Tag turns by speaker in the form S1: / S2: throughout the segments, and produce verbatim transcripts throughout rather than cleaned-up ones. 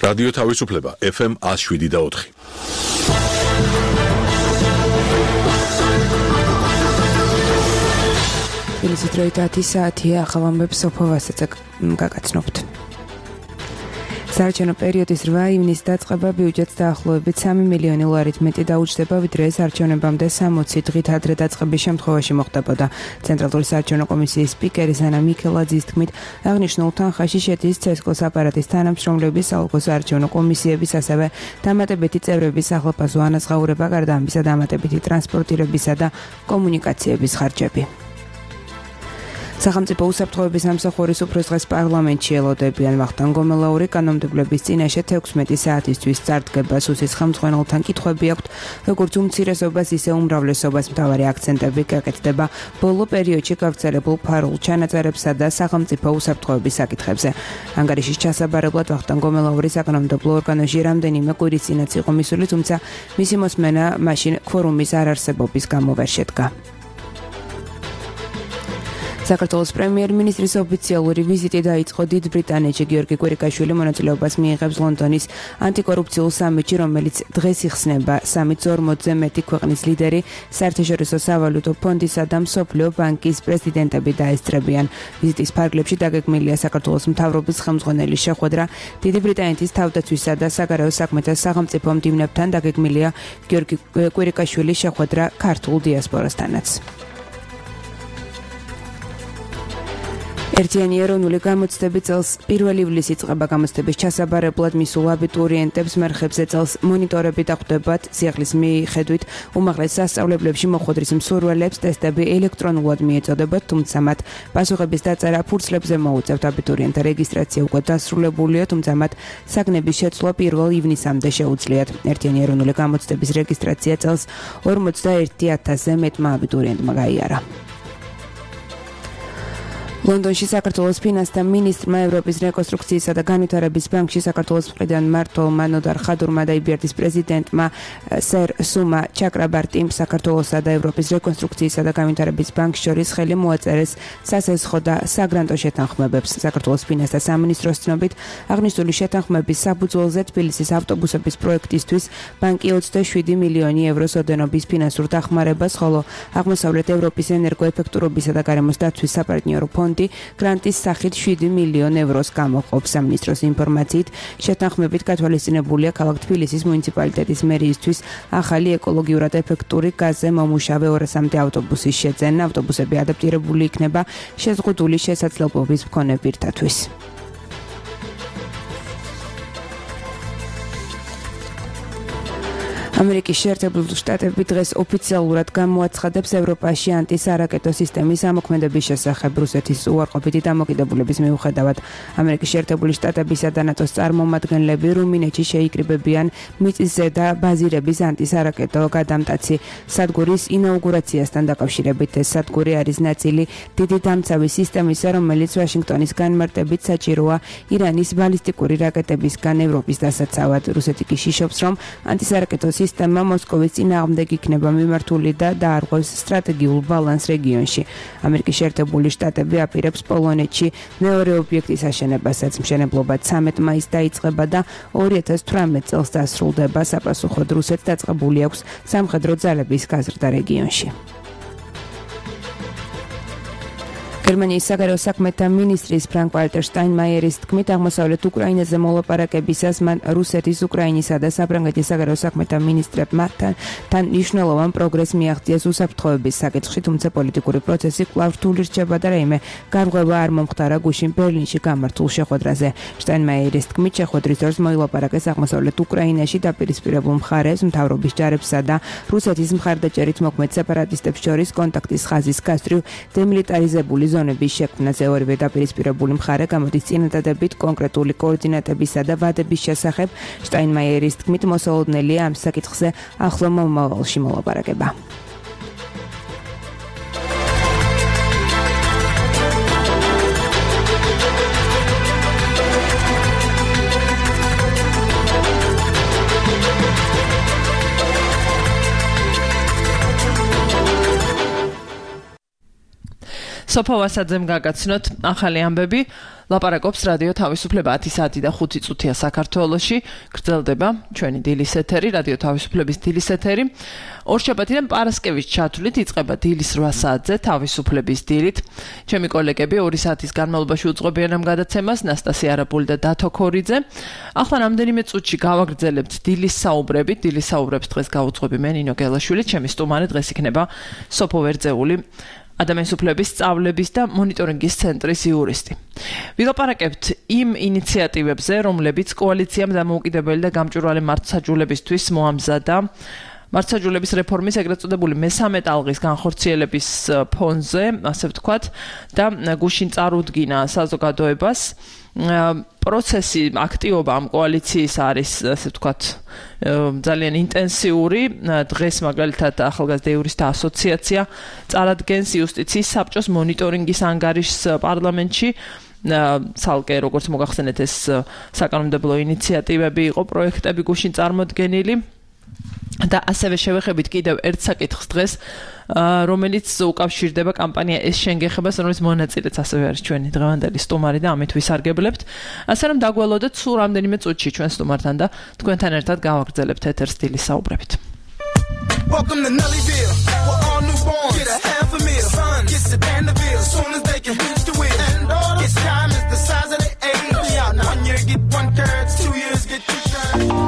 S1: რადიო თავისუფლება ეფ ემ one oh seven და four.
S2: თბილისის დროით ათი საათია, ახალ ამბებს სოფო ვასაძე გაგაცნობთ. საარჩევნო პერიოდის რვა ივნისს დაწყება ბიუჯეტს დაახლოებით სამი მილიონი ლარით მეტი დაუჯდება, ვიდრე ეს არჩევნებამდე სამოცი დღით ადრე დაწყების შემთხვევაში მოხდებოდა. ცენტრალური საარჩევნო კომისიის სპიკერი ანა მიქელაძის თქმით, აღნიშნულ თანხაში შედის ცესკოს აპარატის თანამშრომლების, საოლქო საარჩევნო კომისიების, ასევე დამატებითი წევრების ახალგაზრდა ანაზღაურება, გარდა ამისა დამატებითი ტრანსპორტირებისა და კომუნიკაციების ხარჯები. სახელმწიფო უსაფრთხოების სამსახურის უფროსდღეს პარლამენტში ელოდებიან. ვახტანგ გომელაური კანონმდებლობის წინაშე თექვსმეტი საათისთვის წარდგება. სუსის ხელმძღვანელთან კითხვები აქვთ, როგორც უმცირესობას, ისე უმრავლესობას. მთავარი აქცენტები გაკეთდება ბოლო პერიოდში გავრცელებულ ფარულ ჩანაწერებსა და სახელმწიფო უსაფრთხოების საკითხებზე. ანგარიშის ჩასაბარებლად ვახტანგ გომელაური საკანონმდებლო ორგანოში რამდენიმე კვირის წინაც იყო მისული, თუმცა მისი მოსმენა მაშინ ქვორუმის არარსებობის გამო ვერ შედგა. საქართველოს პრემიერ-მინისტრის ოფიციალური ვიზიტი დაიწყო დიდ ბრიტანეთში. გიორგი კვირიკაშვილი მონაწილეობას მიიღებს ლონდონის ანტიკორუფციულ სამიტში, რომელიც დღეს იხსნება. სამიტს ორმოცზე მეტი ქვეყნის ლიდერი, საერთაშორისო სავალუტო ფონდისა და მსოფლიო ბანკის პრეზიდენტები დაესწრებიან. ვიზიტის ფარგლებში დაგეგმილია საქართველოს მთავრობის ხელმძღვანელის შეხვედრა. დიდი ბრიტანეთის თავდაცვისა და საგარეო საქმეთა სახელმწიფო მდივნებთან დაგეგმილია გიორგი კვირიკაშვილის შეხვედრა ქართულ დიასპორასთანაც. ერთიანი ეროვნული გამოცდები წელს პირველ ივლისს იწყება. გამოცდების ჩასაბარებლად მისულ აბიტურიენტებს მერხებზე წელს მონიტორები დახვდებათ. სიახლის მიხედვით უმაღლეს სასწავლებლებში მოხვედრის მსურველებს ტესტები ელექტრონულად მიეწოდებათ, თუმცა მათ პასუხების დაწერა ფურცლებზე მოუწევთ. აბიტურიენტთა რეგისტრაცია უკვე დასრულებულია, თუმცა მათ საგნების შეცვლა პირველ ივნისამდე შეუძლიათ. ერთიანი ეროვნული გამოცდების რეგისტრაცია წელს ორმოცდაერთი ათასზე მეტმა აბიტურიენტმა გაიარა. ლონდონში საქართველოს ფინანსთა მინისტრმა ევროპის რეკონსტრუქციისა და განვითარების ბანკში საქართველოს მხრიდან მმართველმა ნოდარ ხადურმა და იბერდის პრეზიდენტმა სერ სუმა ჩაკრაბარტიმ საქართველოსა და ევროპის რეკონსტრუქციისა და განვითარების ბანკს შორის ხელი მოაწერეს სასესხო და საგრანტო შეთანხმებებს. საქართველოს ფინანსთა სამინისტროს ცნობით, აღნიშნული შეთანხმების საფუძველზე თბილისის ავტობუსების პროექტისთვის ბანკი ოცდაშვიდი მილიონი ევროს ოდენობის ფინანსურ დახმარებას, ხოლო აღმოსავლეთ ევროპის ენერგოეფექტურობისა და გარემოს დაცვის საპარტნიორო ფონდი გრანტის სახით შვიდი მილიონი ევროს გამოყოფს. სამინისტროს ინფორმაციით, შეთანხმებით გათვალისწინებულია ქალაქ თბილისის მუნიციპალიტეტის მერიისთვის ახალი ეკოლოგიურად ეფექტური გაზზე მომუშავე ორასამდე ავტობუსის შეძენა. ავტობუსები ადაპტირებული იქნება შეზღუდული შესაძლებლობის მქონე პირთათვის. ამერიკის შეერთებული შტატები დღეს ოფიციალურად გამოაცხადებს ევროპაში ანტისარაკეტო სისტემის ამოქმედების შესახებ. რუსეთის უარყოფითი დამოკიდებულების მიუხედავად, ამერიკის შეერთებული შტატებისა და ნატოს წარმომადგენლები რუმინეთში შეიკრიბებიან მიწისზედა ბაზირების ანტისარაკეტო გადამტაცი სადგურის ინაუგურაციასთან დაკავშირებით. ეს სადგური არის ნაწილი დიდი დამცავი სისტემისა, რომელიც ვაშინგტონის განმარტებით საჭიროა ირანის ბალისტიკური რაკეტებისგან ევროპის დასაცავად. რუსეთი კი შიშობს, რომ ანტისარაკეტო სისტემა მოსკოვის წინააღმდეგ იქნება მიმართული და დაარღვევს სტრატეგიულ ბალანს რეგიონში. ამერიკის შეერთებული შტატები აპირებს პოლონეთში მეორე ობიექტის აშენებასაც. მშენებლობა ცამეტ მაისს დაიწყება და ორი ათას თვრამეტ წელს დასრულდება. საპასუხოდ რუსეთს დაწყებული აქვს სამხედრო ძალების გაზრდა რეგიონში. გერმანიის საგარეო საქმეთა მინისტრის ფრანკ ვალტერ შტაინმაიერის თქმით, აღმოსავლეთ უკრაინაზე მოლაპარაკებისას მან რუსეთის, უკრაინისა და საფრანგეთის საგარეო საქმეთა მინისტრებმა თან მნიშვნელოვან პროგრესს მიაღწიეს უსაფრთხოების საკითხში, თუმცა პოლიტიკური პროცესი კვლავ რთული რჩება და რაიმე გარღვევა არ მომხდარა გუშინ ბერლინში გამართულ შეხვედრაზე. შტაინმაიერის თქმით, შეხვედრის დროს მოილაპარაკეს აღმოსავლეთ უკრაინაში დაპირისპირებულ მხარეს, მთავრობის ჯარებსა და რუსეთის მხარდაჭერით მოქმედ სეპარატისტებს შორის კონტაქტის ხაზის გასწვრივ დემილიტარიზებული ზონების შექმნაზე. ორივე დაპირისპირებული მხარე გამოდის წინადადებით კონკრეტული კოორდინატებისა და ვადების შესახებ. შტაინმაიერის თქმით, მოსალოდნელია ამ საკითხზე ახლო მომავალში მოლაპარაკება.
S3: სოფო ვასაძემ გაგაცნოთ ახალი ამბები. ლაპარაკობს რადიო თავისუფლება ათი საათი და ხუთი წუთია საქართველოში. გრძელდება ჩვენი დილის ეთერი, რადიო თავისუფლების დილის ეთერი. ორშაბათიდან პარასკევის ჩათვლით იწყება დილის რვა საათზე თავისუფლების დილით. ჩემი კოლეგები ორი საათის განმავლობაში უძღვებიან ამ გადაცემას, ნასტასია არაბული და დათო ქორიძე. ახლა რამდენიმე წუთში გავაგრძელებთ დილის საუბრებით. დილის საუბრებს დღეს გავუძღვები მე ნინო გელაშვილი, ჩემი სტუმარი დღეს იქნება სოფო ვერძეული, ადამიანის უფლების სწავლების და მონიტორინგის ცენტრის იურისტი. ვილაპარაკებთ იმ ინიციატივებზე, რომლებიც კოალიციამ დამოუკიდებელი და გამჭვირვალე მართლმსაჯულებისთვის მოამზადა მართლმსაჯულების რეფორმის ეგრეთ წოდებული მესამე ტალღის განხორციელების ფონზე, ასე ვთქვათ, და გუშინ წარუდგინა საზოგადოებას. პროცესი, აქტივობა ამ კოალიციის არის, ასე ვთქვათ, ძალიან ინტენსიური. დღეს მაგალითად ახალგაზრდა იურისტთა ასოციაცია წარადგენს იუსტიციის საბჭოს მონიტორინგის ანგარიშს პარლამენტში. ცალკე როგორც მოგახსენეთ, ეს საკანონმდებლო ინიციატივები იყო, პროექტები გუშინ წარმოდგენილი. და ასევე შევეხებით კიდევ ერთ საკითხს დღეს, რომელიც უკავშირდება კამპანია ეს შენგეხებას, რომელიც მონაწილეც ასევე არის ჩვენი დღევანდელი სტუმარი და ამით ვისარგებლებთ. ასე რომ დაგველოდეთ სულ რამდენიმე წუთში ჩვენ სტუმართან და თქვენთან ერთად გავაგრძელებთ ეთერს დილის საუბრებით. Welcome to Nellyville, we're all newborns. Get a half a meal, son, gets the Vanderbilt, as soon as they can reach the wheel. And all this time is the size of the age. Yeah, now one year get one third, two years get two thirds.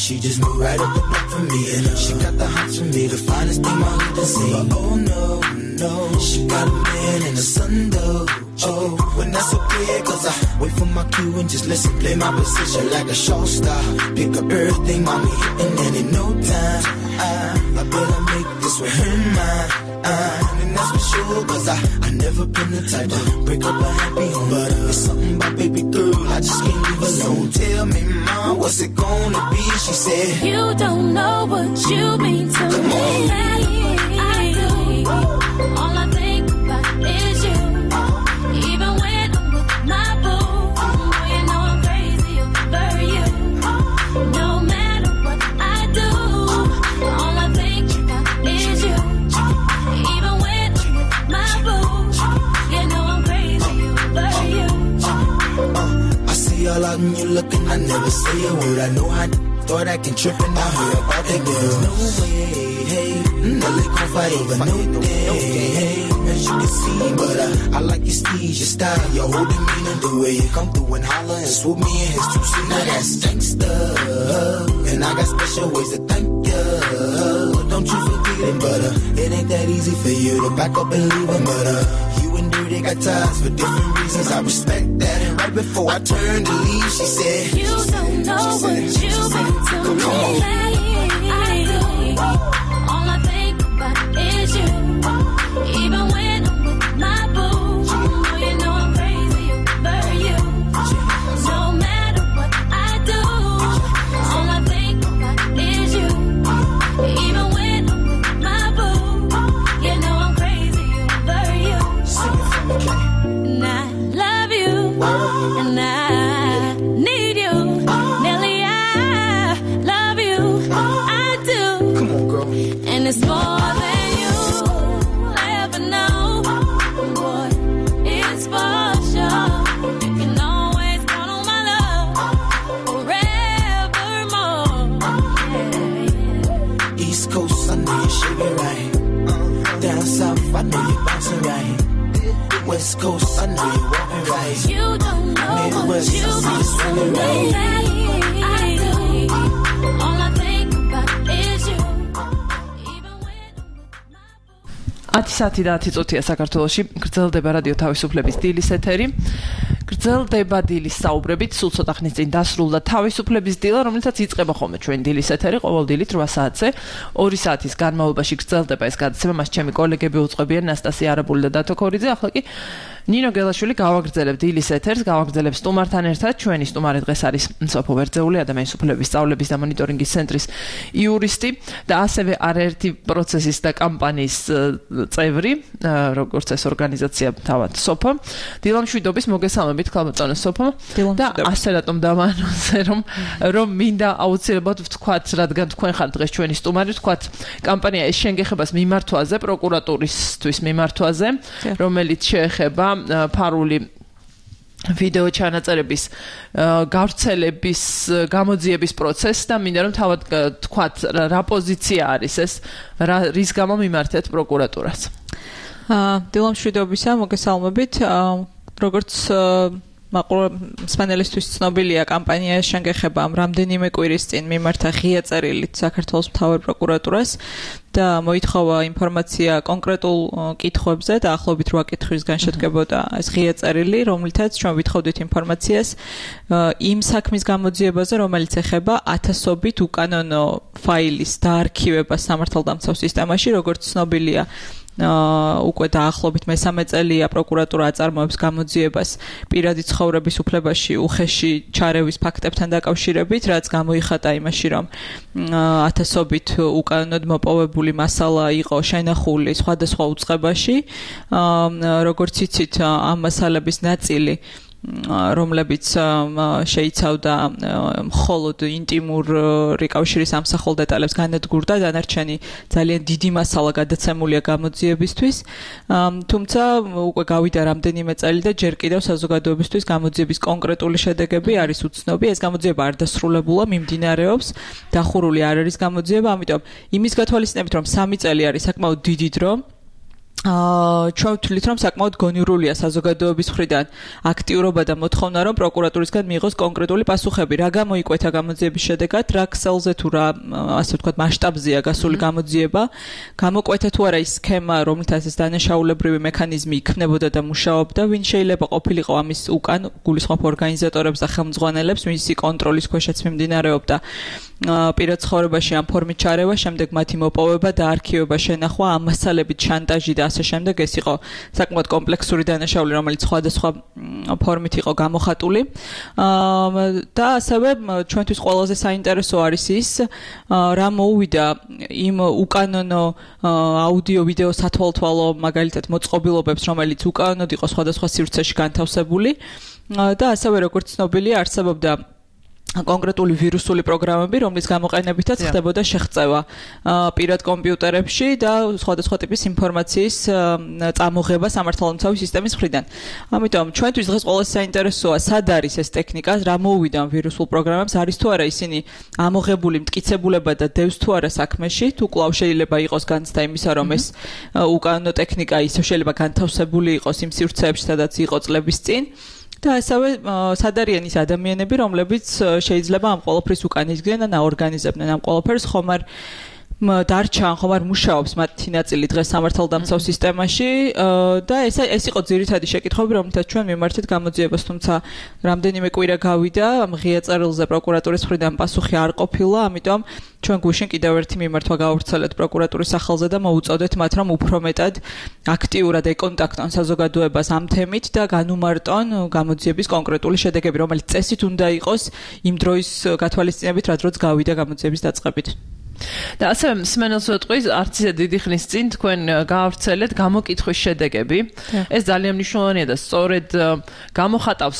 S3: She just moved right up the block for me, and she got the hots for me, the finest thing my hood has seen. But oh no, no, she got a man in the sun though. Oh, when that's okay, cause I wait for my cue and just listen, play my position like a show star. Pick up everything, mommy, hitting, and in no time, I, I better make this with her mine. Uh, and that's for sure, cause I, I never been the type to break up a happy home. But uh, it's something about baby girl, I just can't leave alone. Tell me, mom, what's it gonna be? She said, you don't know what you mean to Come me. On. I do. All I think about is you. Even when I'm with my boo, oh, you know I'm crazy over you. No matter what I do, all I think about is you. Even when I'm with my boo, you know I'm crazy over you. I see all out and you looking, I never say a word. I know how thought I can trip and I heard about that girl. No way, hey, Nelly gon' fight over no day, hey, as you can see, but uh, I like your steez, your style, your whole demeanor, the way you come through and holler and swoop me in his two seat. Now that's gangsta, and I got special ways to thank you. Don't you forget it, but uh, it ain't that easy for you to back up and leave him, but uh, you and Dirty got ties for different reasons. I respect that, and right before I turned to leave, she said, you don't know what you've been to me. I do. All I think about is you. Even when I'm with my boo, oh, you know I'm crazy over you. No matter what I do, all I think about is you. Even when I'm with my boo, you know I'm crazy over you. And I love you, and I need you, Nelly. I love you, I do. Come on, girl. And it's more than you ever know. Boy, it's for sure. You can always count on my love forevermore. Yeah. East Coast, I know you sugar right. Down south, I know you bouncing right. West Coast, I know you walking right. You don't know Midwest, what you've been through me. I do. All I think about is you.
S4: ათი საათი და ათი წუთია საქართველოში გრძელდება რადიო თავისუფლების დილის ეთერი. გრძელდება დილის საუბრებით, სულ ცოტა ხნის წინ დასრულდა თავისუფლების დილა, რომელთაც იწყება ხოლმე ჩვენ დილის ეთერი ყოველ დილით რვა საათზე. ორი საათის განმავლობაში გრძელდება ეს გადაცემა, მას ჩემი კოლეგები უწყობიან ნასტასია არაბული და დათო ქორიძე. ახლა კი ნინო გელაშვილი გავაგრძელებ დილის ეთერს, გავაგრძელებ სტუმართან ერთად. ჩვენი სტუმარი დღეს არის სოფო ვერძეული, ადამიანის უფლებების სწავლების და მონიტორინგის ცენტრის იურისტი და ასევე არაერთი პროცესის და კამპანიის წევრი, როგორც ეს ორგანიზაცია თავად სოფო. დილამშვიდობის მოგესალმებით, ქალბატონო სოფო. და ასე რატომ დავანონსე, რომ რომ მინდა აუცილებლად ვთქვათ, რადგან თქვენ ხართ დღეს ჩვენი სტუმარი, ვთქვათ, კამპანია ეს შენგეხებას მიმართვაზე, პროკურატურისთვის მიმართვაზე, რომელიც შეეხება ფარული ვიდეო ჩანაწერების გავრცელების გამოძიების პროცესს და მინდა რომ თავად თქვათ რა პოზიცია არის ეს, რის გამო მიმართეთ პროკურატურას.
S5: დილამშვიდობისა, მოგესალმებით. როგორც სპანელისტვის ცნობილია, კამპანია შენგეხება რამდენიმე კვირის წინ მიმართა ღია წერილით საქართველოს მთავარ პროკურატურას და მოითხოვა ინფორმაცია კონკრეტულ კითხვებზე და ახლობით რვა კითხვისგან შედგებოდა ეს ღია წერილი, რომლითაც ჩვენ ვითხოვდით ინფორმაციას იმ საქმის გამოძიებაზე, რომელიც ეხება ათასობით უკანონო ფაილის დაარქივებას სამართალდამცავ სისტემაში, როგორც ცნობილია. უკვე დაახლოებით მესამე წელია პროკურატურა აწარმოებს გამოძიებას პირადი ცხოვრების უფლებაში უხეში ჩარევის ფაქტებთან დაკავშირებით, რაც გამოიხატა იმაში, რომ ათასობით უკანონოდ მოპოვებული მასალა იყო შენახული სხვადასხვა უწყებაში. როგორც იცით, ამ მასალების ნაწილი რომლებიც შეიცავდა მხოლოდ ინტიმური კავშირის ამსახველ დეტალებს განადგურდა, დანარჩენი ძალიან დიდი მასალა გადაცემულია გამოძიებისთვის. თუმცა უკვე გავიდა რამდენიმე წელი და ჯერ კიდევ საზოგადოებისთვის გამოძიების კონკრეტული შედეგები არის უცნობი. ეს გამოძიება არ დასრულებულა, მიმდინარეობს, დახურული არ არის გამოძიება, ამიტომ იმის გათვალისწინებით, რომ სამი წელი არის საკმაოდ დიდი დრო, აა ჩვენ ვთვლით, რომ საკმაოდ გონიურულია საზოგადოების მხრიდან აქტიურობა და მოთხოვნა, რომ პროკურატურისგან მიიღოს კონკრეტული პასუხები, რა გამოიკვეთა გამოძიების შედეგად, რა ქსელზე თუ რა, ასე ვთქვათ, მასშტაბზეა გასული გამოძიება, გამოკვეთა თუ არა ის სქემა, რომლითაც ეს დანაშაულებრივი მექანიზმი იქმნებოდა და მუშაობდა, ვინ შეიძლება ყოფილიყო ამის უკან, გულისხმობ ორგანიზატორებს და ხელმძღვანელებს, ვინსი კონტროლის ქვეშაც მიმდინარეობდა პირად ცხოვრებაში ამ ფორმით ჩარევა, შემდეგ მათი მოპოვება და არქივება, შენახვა, ამ მასალებით შანტაჟი და ასე შემდეგ. ეს იყო საკმაოდ კომპლექსური დანაშაული, რომელიც სხვადასხვა ფორმით იყო გამოხატული. და ასევე ჩვენთვის ყველაზე საინტერესო არის ის, რა მოუვიდა იმ უკანონო აუდიო ვიდეო სათვალთვალო მაგალითად მოწყობილობებს, რომელიც უკანონოდ იყო სხვადასხვა სივრცეში განთავსებული და ასევე როგორც ცნობილია, არსებობდა კონკრეტული ვირუსული პროგრამები, რომლის გამოყენებითაც ხდებოდა შეღწევა პირად კომპიუტერებში და სხვადასხვა ტიპის ინფორმაციის წამოღება სამართალდამცავი სისტემის მხრიდან. ამიტომ ჩვენთვის დღეს ყველაზე საინტერესოა, სად არის ეს ტექნიკა, რა მოუვიდა ვირუსულ პროგრამებს, არის თუ არა ისინი ამოღებული მტკიცებულება და დევს თუ არა საქმეში, თუ კვლავ შეიძლება იყოს განცდა იმისა, რომ ეს უკანონო ტექნიკა ისევ შეიძლება განთავსებული იყოს იმ სივრცეებში, სადაც იყო წლების წინ. და ასევე სად არიან ის ადამიანები, რომლებიც შეიძლება ამ ყველაფრის უკან იდგნენ და აორგანიზებდნენ ამ ყველაფერს, ხომ არ დარჩა, ხომ არ მუშაობს მათი ნაწილი დღეს სამართალდამცავ სისტემაში და ეს ეს იყო ძირითადი შეკითხვები, რომლითაც ჩვენ მიმართეთ გამოძიებას, თუმცა რამდენიმე კვირა გავიდა, ამ ღია წერილზე პროკურატურის მხრიდან პასუხი არ ყოფილა, ამიტომ ჩვენ გუშინ კიდევ ერთი მიმართვა გავავრცელეთ პროკურატურის სახელზე და მოუწოდეთ მათ, რომ უფრო მეტად აქტიურად ეკონტაქტონ საზოგადოებას ამ თემით და განუმარტონ გამოძიების კონკრეტული შედეგები, რომელიც წესით უნდა იყოს იმ დროის გათვალისწინებით, რა დროც გავიდა გამოძიების დაწყებით. და ასევე მსმენელს ვეტყვის, არც ისე დიდი ხნის წინ თქვენ გაავრცელეთ გამოკითხვის შედეგები. ეს ძალიან მნიშვნელოვანია და სწორედ გამოხატავს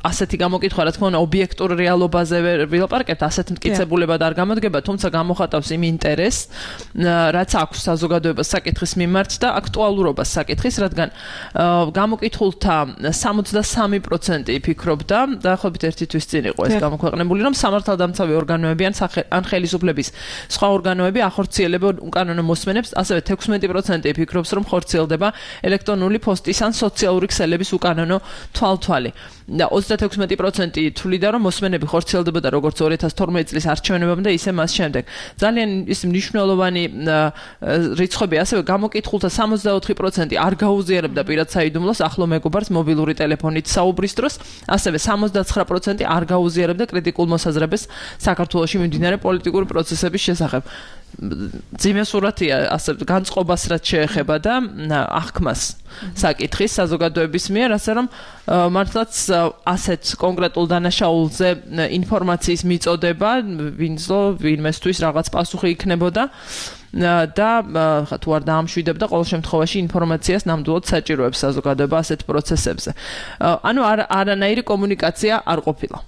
S5: ასეთი გამოკითხვა, რა თქმა უნდა, ობიექტურ რეალობაზე ვილაპარაკებთ, ასეთ მტკიცებულებად არ გამოდგება, თუმცა გამოხატავს იმ ინტერესს, რაც აქვს საზოგადოებას საკითხის მიმართ და აქტუალურობას საკითხის, რადგან გამოკითხულთა სამოცდასამი პროცენტი ფიქრობდა, დაახლოებით ერთი თვის წინ იყო ეს გამოქვეყნებული, რომ სამართალდამცავი ორგანოები ან ხელისუფლების
S4: სხვა ორგანოები ახორციელებენ უკანონო მოსმენებს, ასევე თექვსმეტი პროცენტი ფიქრობს, რომ ხორციელდება ელექტრონული პოსტის ან სოციალური ქსელების უკანონო თვალთვალი. და ოცდათექვსმეტი პროცენტი თვლიდა, რომ მოსმენები ხორციელდებოდა როგორც ორი ათას თორმეტი წლის არჩევნებამდე, ისე მას შემდეგ. ძალიან ის მნიშვნელოვანი რიცხვები ასევე გამოკითხულთა სამოცდაოთხი პროცენტი არ გაუზიარებდა პირად საიდუმლოს ახლო მეგობარს მობილური ტელეფონით საუბრის დროს, ასევე სამოცდაცხრა პროცენტი არ გაუზიარებდა კრიტიკულ მოსაზრებას საქართველოში მიმდინარე პოლიტიკური პროცესების შესახებ. ძიმე სურათია ასე განწყობას რაც შეეხება და აღქმას საკითხის საზოგადოების მიერ, ასე რომ მართლაც ასეთ კონკრეტულ დანაშაულზე ინფორმაციის მიწოდება, ვინცო ვინმესთვის რაღაც პასუხი იქნებოდა და ხა თუ არ დაამშვიდებდა ყოველ შემთხვევაში ინფორმაციას ნამდვილად საჭიროებს საზოგადოება ასეთ პროცესებზე. ანუ არანაირი კომუნიკაცია არ ყოფილა.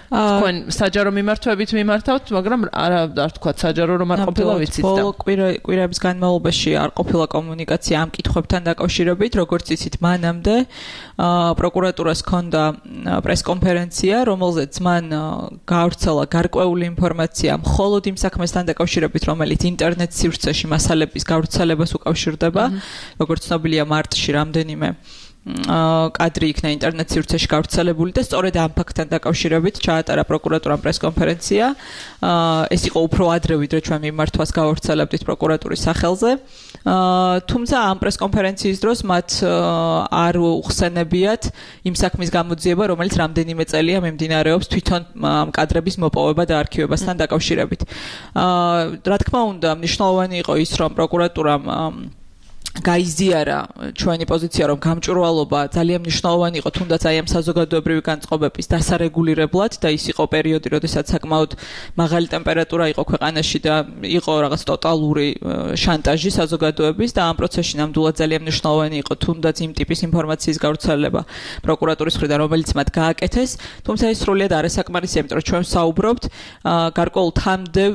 S4: თქვენ საჯარო მიმართვებით მიმართავთ, მაგრამ არა არ თქვა საჯარო რომ არ ყოფილა ვიცით და
S5: ბოლო კვირების განმავლობაში არ ყოფილა კომუნიკაცია ამ კითხვებთან დაკავშირებით, როგორც იცით, მანამდე პროკურატურას ჰქონდა პრესკონფერენცია, რომელზეც მან გაავრცელა გარკვეული ინფორმაცია მხოლოდ იმ საქმესთან დაკავშირებით, რომელიც ინტერნეტ სივრცეში მასალების გავრცელებას უკავშირდება, როგორც ცნობილია მარტში რამდენიმე კადრი იქნა ინტერნეტ სივრცეში გავრცელებული და სწორედ ამ ფაქტთან დაკავშირებით ჩაატარა პროკურატურამ პრესკონფერენცია. ეს იყო უფრო ადრე, ვიდრე ჩვენ მიმართვას გავავრცელებდით პროკურატურის სახელზე. თუმცა ამ პრესკონფერენციის დროს მათ არ უხსენებიათ იმ საქმის გამოძიება, რომელიც რამდენიმე წელია მიმდინარეობს თვითონ ამ კადრების მოპოვება და არქივებასთან დაკავშირებით. რა თქმა უნდა, მნიშვნელოვანი იყო ის, რომ პროკურატურამ გაიზიარა ჩვენი პოზიცია, რომ გამჭვირვალობა ძალიან მნიშვნელოვანი იყო თუნდაც აი ამ საზოგადოებრივი განწყობების დასარეგულირებლად და ის იყო პერიოდი, როდესაც საკმაოდ მაღალი ტემპერატურა იყო ქვეყანაში და იყო რაღაც ტოტალური შანტაჟი საზოგადოების და ამ პროცესში ნამდვილად ძალიან მნიშვნელოვანი იყო თუნდაც იმ ტიპის ინფორმაციის გავრცელება პროკურატურის მხრიდან, რომელიც მათ გააკეთეს, თუმცა ეს სრულიად არასაკმარისია, იმიტომ რომ ჩვენ საუბრობთ გარკვეულ თამდევ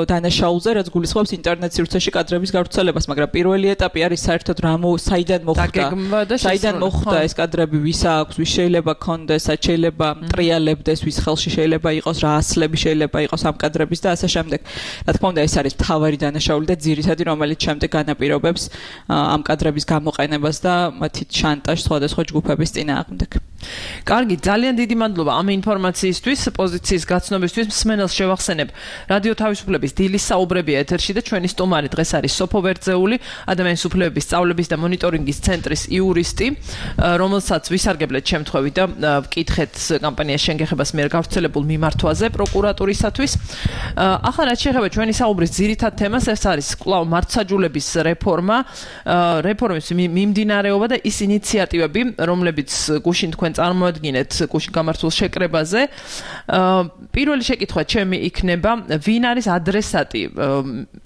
S5: დანაშაულზე, რაც გულისხმობს ინტერნეტ სივრცეში კადრების გავრცელებას, მაგრამ პირველი ეტაპი არის საერთოდ რა საიდან მოხვდა საიდან მოხვდა ეს კადრები, ვის აქვს, ვის შეიძლება ქონდეს, რაც შეიძლება ტრიალებდეს, ვის ხელში შეიძლება იყოს, რა ასლები შეიძლება იყოს ამ კადრების და ასე შემდეგ. რა თქმა უნდა, ეს არის მთავარი დანაშაული და ძირითადი, რომელიც შემდეგ განაპირობებს ამ კადრების გამოყენებას და მათი შანტაჟს სხვადასხვა ჯგუფების წინააღმდეგ.
S4: კარგი, ძალიან დიდი მადლობა ამ ინფორმაციისთვის, პოზიციის გაცნობისთვის. მსმენელს შევახსენებ, რადიო თავისუფლების დილის საუბრები ეთერში და ჩვენი სტუმარი დღეს არის სოფო ვერძეული, ადამიანის უფლებების სწავლების და მონიტორინგის ცენტრის იურისტი, რომელსაც ვისარგებლეთ შემთხვევით და ვკითხეთ კამპანიას შენგეხებას მიერ გავრცელებულ მიმართვაზე პროკურატურისათვის. ახლა რაც შეეხება ჩვენი საუბრის ძირითად თემას, ეს არის კვლავ მართლმსაჯულების რეფორმა, რეფორმის მიმდინარეობა და ის ინიციატივები, რომლებიც გუშინ თქვენ წარმოადგენთ გუშინ გამართულ შეკრებაზე. პირველი შეკითხვა ჩემი იქნება, ვინ არის ადრესატი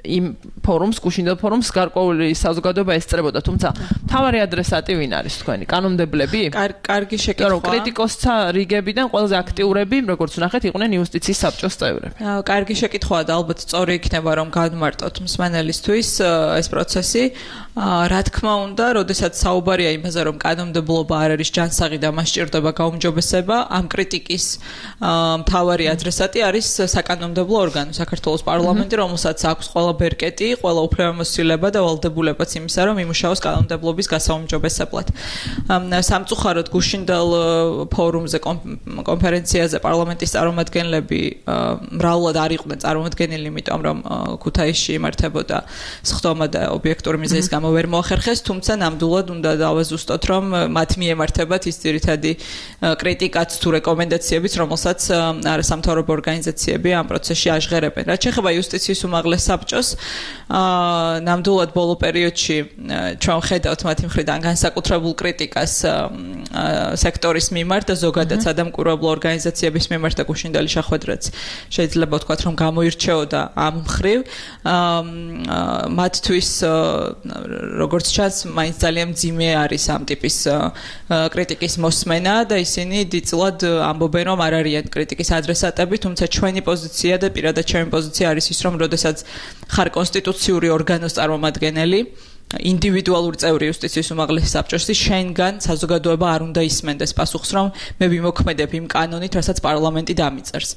S4: იმ ფორუმს, გუშინდელ ფორუმს გარკვეული საზოგადოება ესწრებოდა, თუმცა მთავარი ადრესატი ვინ არის თქვენი? კანონმდებლები?
S5: კარგი შეკითხვა.
S4: რომ კრიტიკოსთა რიგებიდან ყველაზე აქტიურები, როგორც ვნახეთ, იყვნენ იუსტიციის საბჭოს წევრები.
S5: კარგი შეკითხვაა და ალბათ სწორი იქნება, რომ განმარტოთ მსმენელისთვის ეს პროცესი. რა თქმა უნდა, როდესაც საუბარია იმაზე, რომ კანონმდებლობა არ არის ჯანსაღი და მას სჭირდება გაუმჯობესება, ამ კრიტიკის მთავარი ადრესატი არის საკანონმდებლო ორგანო, საქართველოს პარლამენტი, რომელსაც აქვს ყველა ბერკეტი, ყველა უფლებამოსილება და ვალდებულებაც იმისა, რომ იმუშაოს კანონმდებლობის გასაუმჯობესებლად. სამწუხაროდ გუშინდელ ფორუმზე, კონფერენციაზე პარლამენტის წარმომადგენლები მრავლად არ იყვნენ წარმოდგენილი, იმიტომ რომ ქუთაისში იმართებოდა სხდომა და ობიექტური მიზეზის გამო ვერ მოახერხეს, თუმცა ნამდვილად უნდა დავაზუსტოთ, რომ მათ მიემართებათ ის ძირითადი კრიტიკაც თუ რეკომენდაციებიც, რომელსაც არასამთავრობო ორგანიზაციები ამ პროცესში აჟღერებენ. რაც შეეხება იუსტიციის უმაღლეს საბჭოს, ნამდვილად ბოლო პერიოდში ჩვენ ხედავთ მათი მხრიდან განსაკუთრებულ კრიტიკას სექტორის მიმართ და ზოგადად სადამკვირვებლო ორგანიზაციების მიმართ და გუშინდელი შეხვედრაც შეიძლება ვთქვათ, რომ გამოირჩეოდა ამ მხრივ. მათთვის როგორც ჩანს, მაინც ძალიან მძიმე არის ამ ტიპის კრიტიკის მოსმენა და ისინი დიდწილად ამბობენ, რომ არ არიან კრიტიკის ადრესატები, თუმცა ჩვენი პოზიცია და პირადად ჩემი პოზიცია არის ის, რომ როდესაც ხარ კონსტიტუციური ორგანოს წარმომადგენელი, ინდივიდუალური წევრი იუსტიციის უმაღლესი საბჭოში შენგან საზოგადოება არ უნდა ისმენდეს პასუხს, რომ მე ვიმოქმედებ იმ კანონით, რასაც პარლამენტი დამიწერს.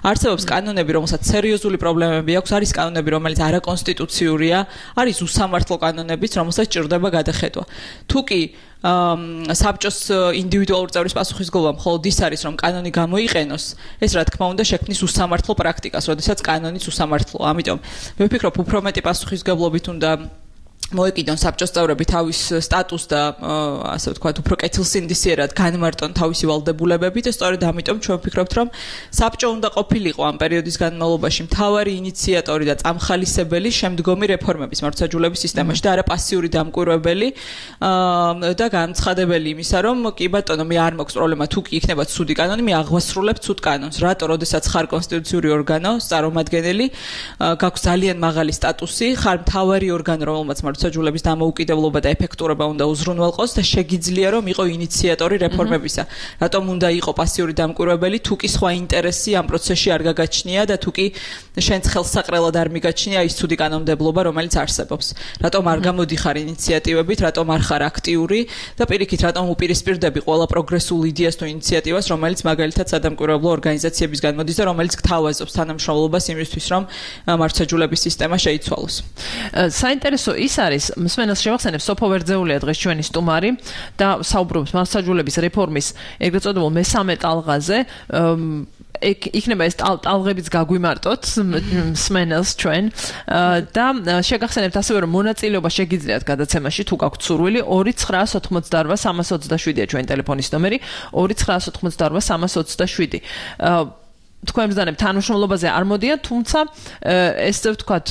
S5: არსებობს კანონები, რომელსაც სერიოზული პრობლემები აქვს, არის კანონები, რომელიც არაკონსტიტუციურია, არის უსამართლო კანონებიც, რომელსაც ჭირდება გადახედვა. თუ კი საბჭოს ინდივიდუალური წევრის პასუხისგებლობა მხოლოდ ის არის, რომ კანონი გამოიყენოს, ეს რა თქმა უნდა შექმნის უსამართლო პრაქტიკას, როდესაც კანონიც უსამართლოა. ამიტომ მე ვფიქრობ, უფრო მეტი პასუხისგებლობით უნდა მოეკიდონ საბჭოს წევრები თავის სტატუსს და ასე ვთქვათ, უფრო კეთილსინდისიერად განმარტონ თავისი ვალდებულებები და სწორედ ამიტომ ჩვენ ვფიქრობთ, რომ საბჭო უნდა ყოფილიყო ამ პერიოდის განმავლობაში მთავარი ინიციატორი და წამხალისებელი შემდგომი რეფორმების მართლმსაჯულების სისტემაში და არა პასიური დამკვირვებელი და განცხადებელი იმისა, რომ კი ბატონო, მე არ მაქვს პრობლემა, თუ კი იქნება ცუდი კანონი, მე აღვასრულებ ცუდ კანონს. რატო, როდესაც ხარ კონსტიტუციური ორგანო, წარმომადგენელი, გაქვს ძალიან მაღალი სტატუსი, ხარ მთავარი ორგანო, რომელმაც მართლმსაჯულების დამოუკიდებლობა და ეფექტურობა უნდა უზრუნველყოს და შეგიძლია რომ იყო ინიციატორი რეფორმებისა. რატომ უნდა იყო პასიური დამკვირვებელი, თუ კი სხვა ინტერესი ამ პროცესში არ გაგაჩნია და თუ კი შენც ხელსაყრელად არ მიგაჩნია ის ცუდი კანონმდებლობა, რომელიც არსებობს. რატომ არ გამოდიხარ ინიციატივებით, რატომ არ ხარ აქტიური და პირიქით, რატომ უპირისპირდები ყველა პროგრესულ იდეას თუ ინიციატივას, რომელიც მაგალითად სადამკვირვებლო ორგანიზაციებისგან მოდის და რომელიც გთავაზობს თანამშრომლობას იმისთვის, რომ მართლმსაჯულების სისტემა შეიცვალოს.
S4: საინტერესო ის არის, მსმენელს შევახსენებ, სოფო ვერძეულია დღეს ჩვენი სტუმარი და საუბრობს მართლმსაჯულების რეფორმის ეგრეთ წოდებულ მესამე ტალღაზე. იქნება ეს ტალღებიც გაგვიმარტოთ მსმენელს ჩვენ და შეგახსენებთ ასევე, რომ მონაწილეობა შეგიძლიათ გადაცემაში, თუ გაქვთ სურვილი, ორი ცხრაას ოცდაოთხმოცდაორვა სამას ოცდაშვიდია ჩვენი ტელეფონის ნომერი, ორი ცხრაას ოცდაოთხმოცდაორვა სამას ოცდაშვიდი. თქვენ ბრძანებთ თანამშრომლობაზე არ მოდიან, თუმცა ესე ვთქვათ,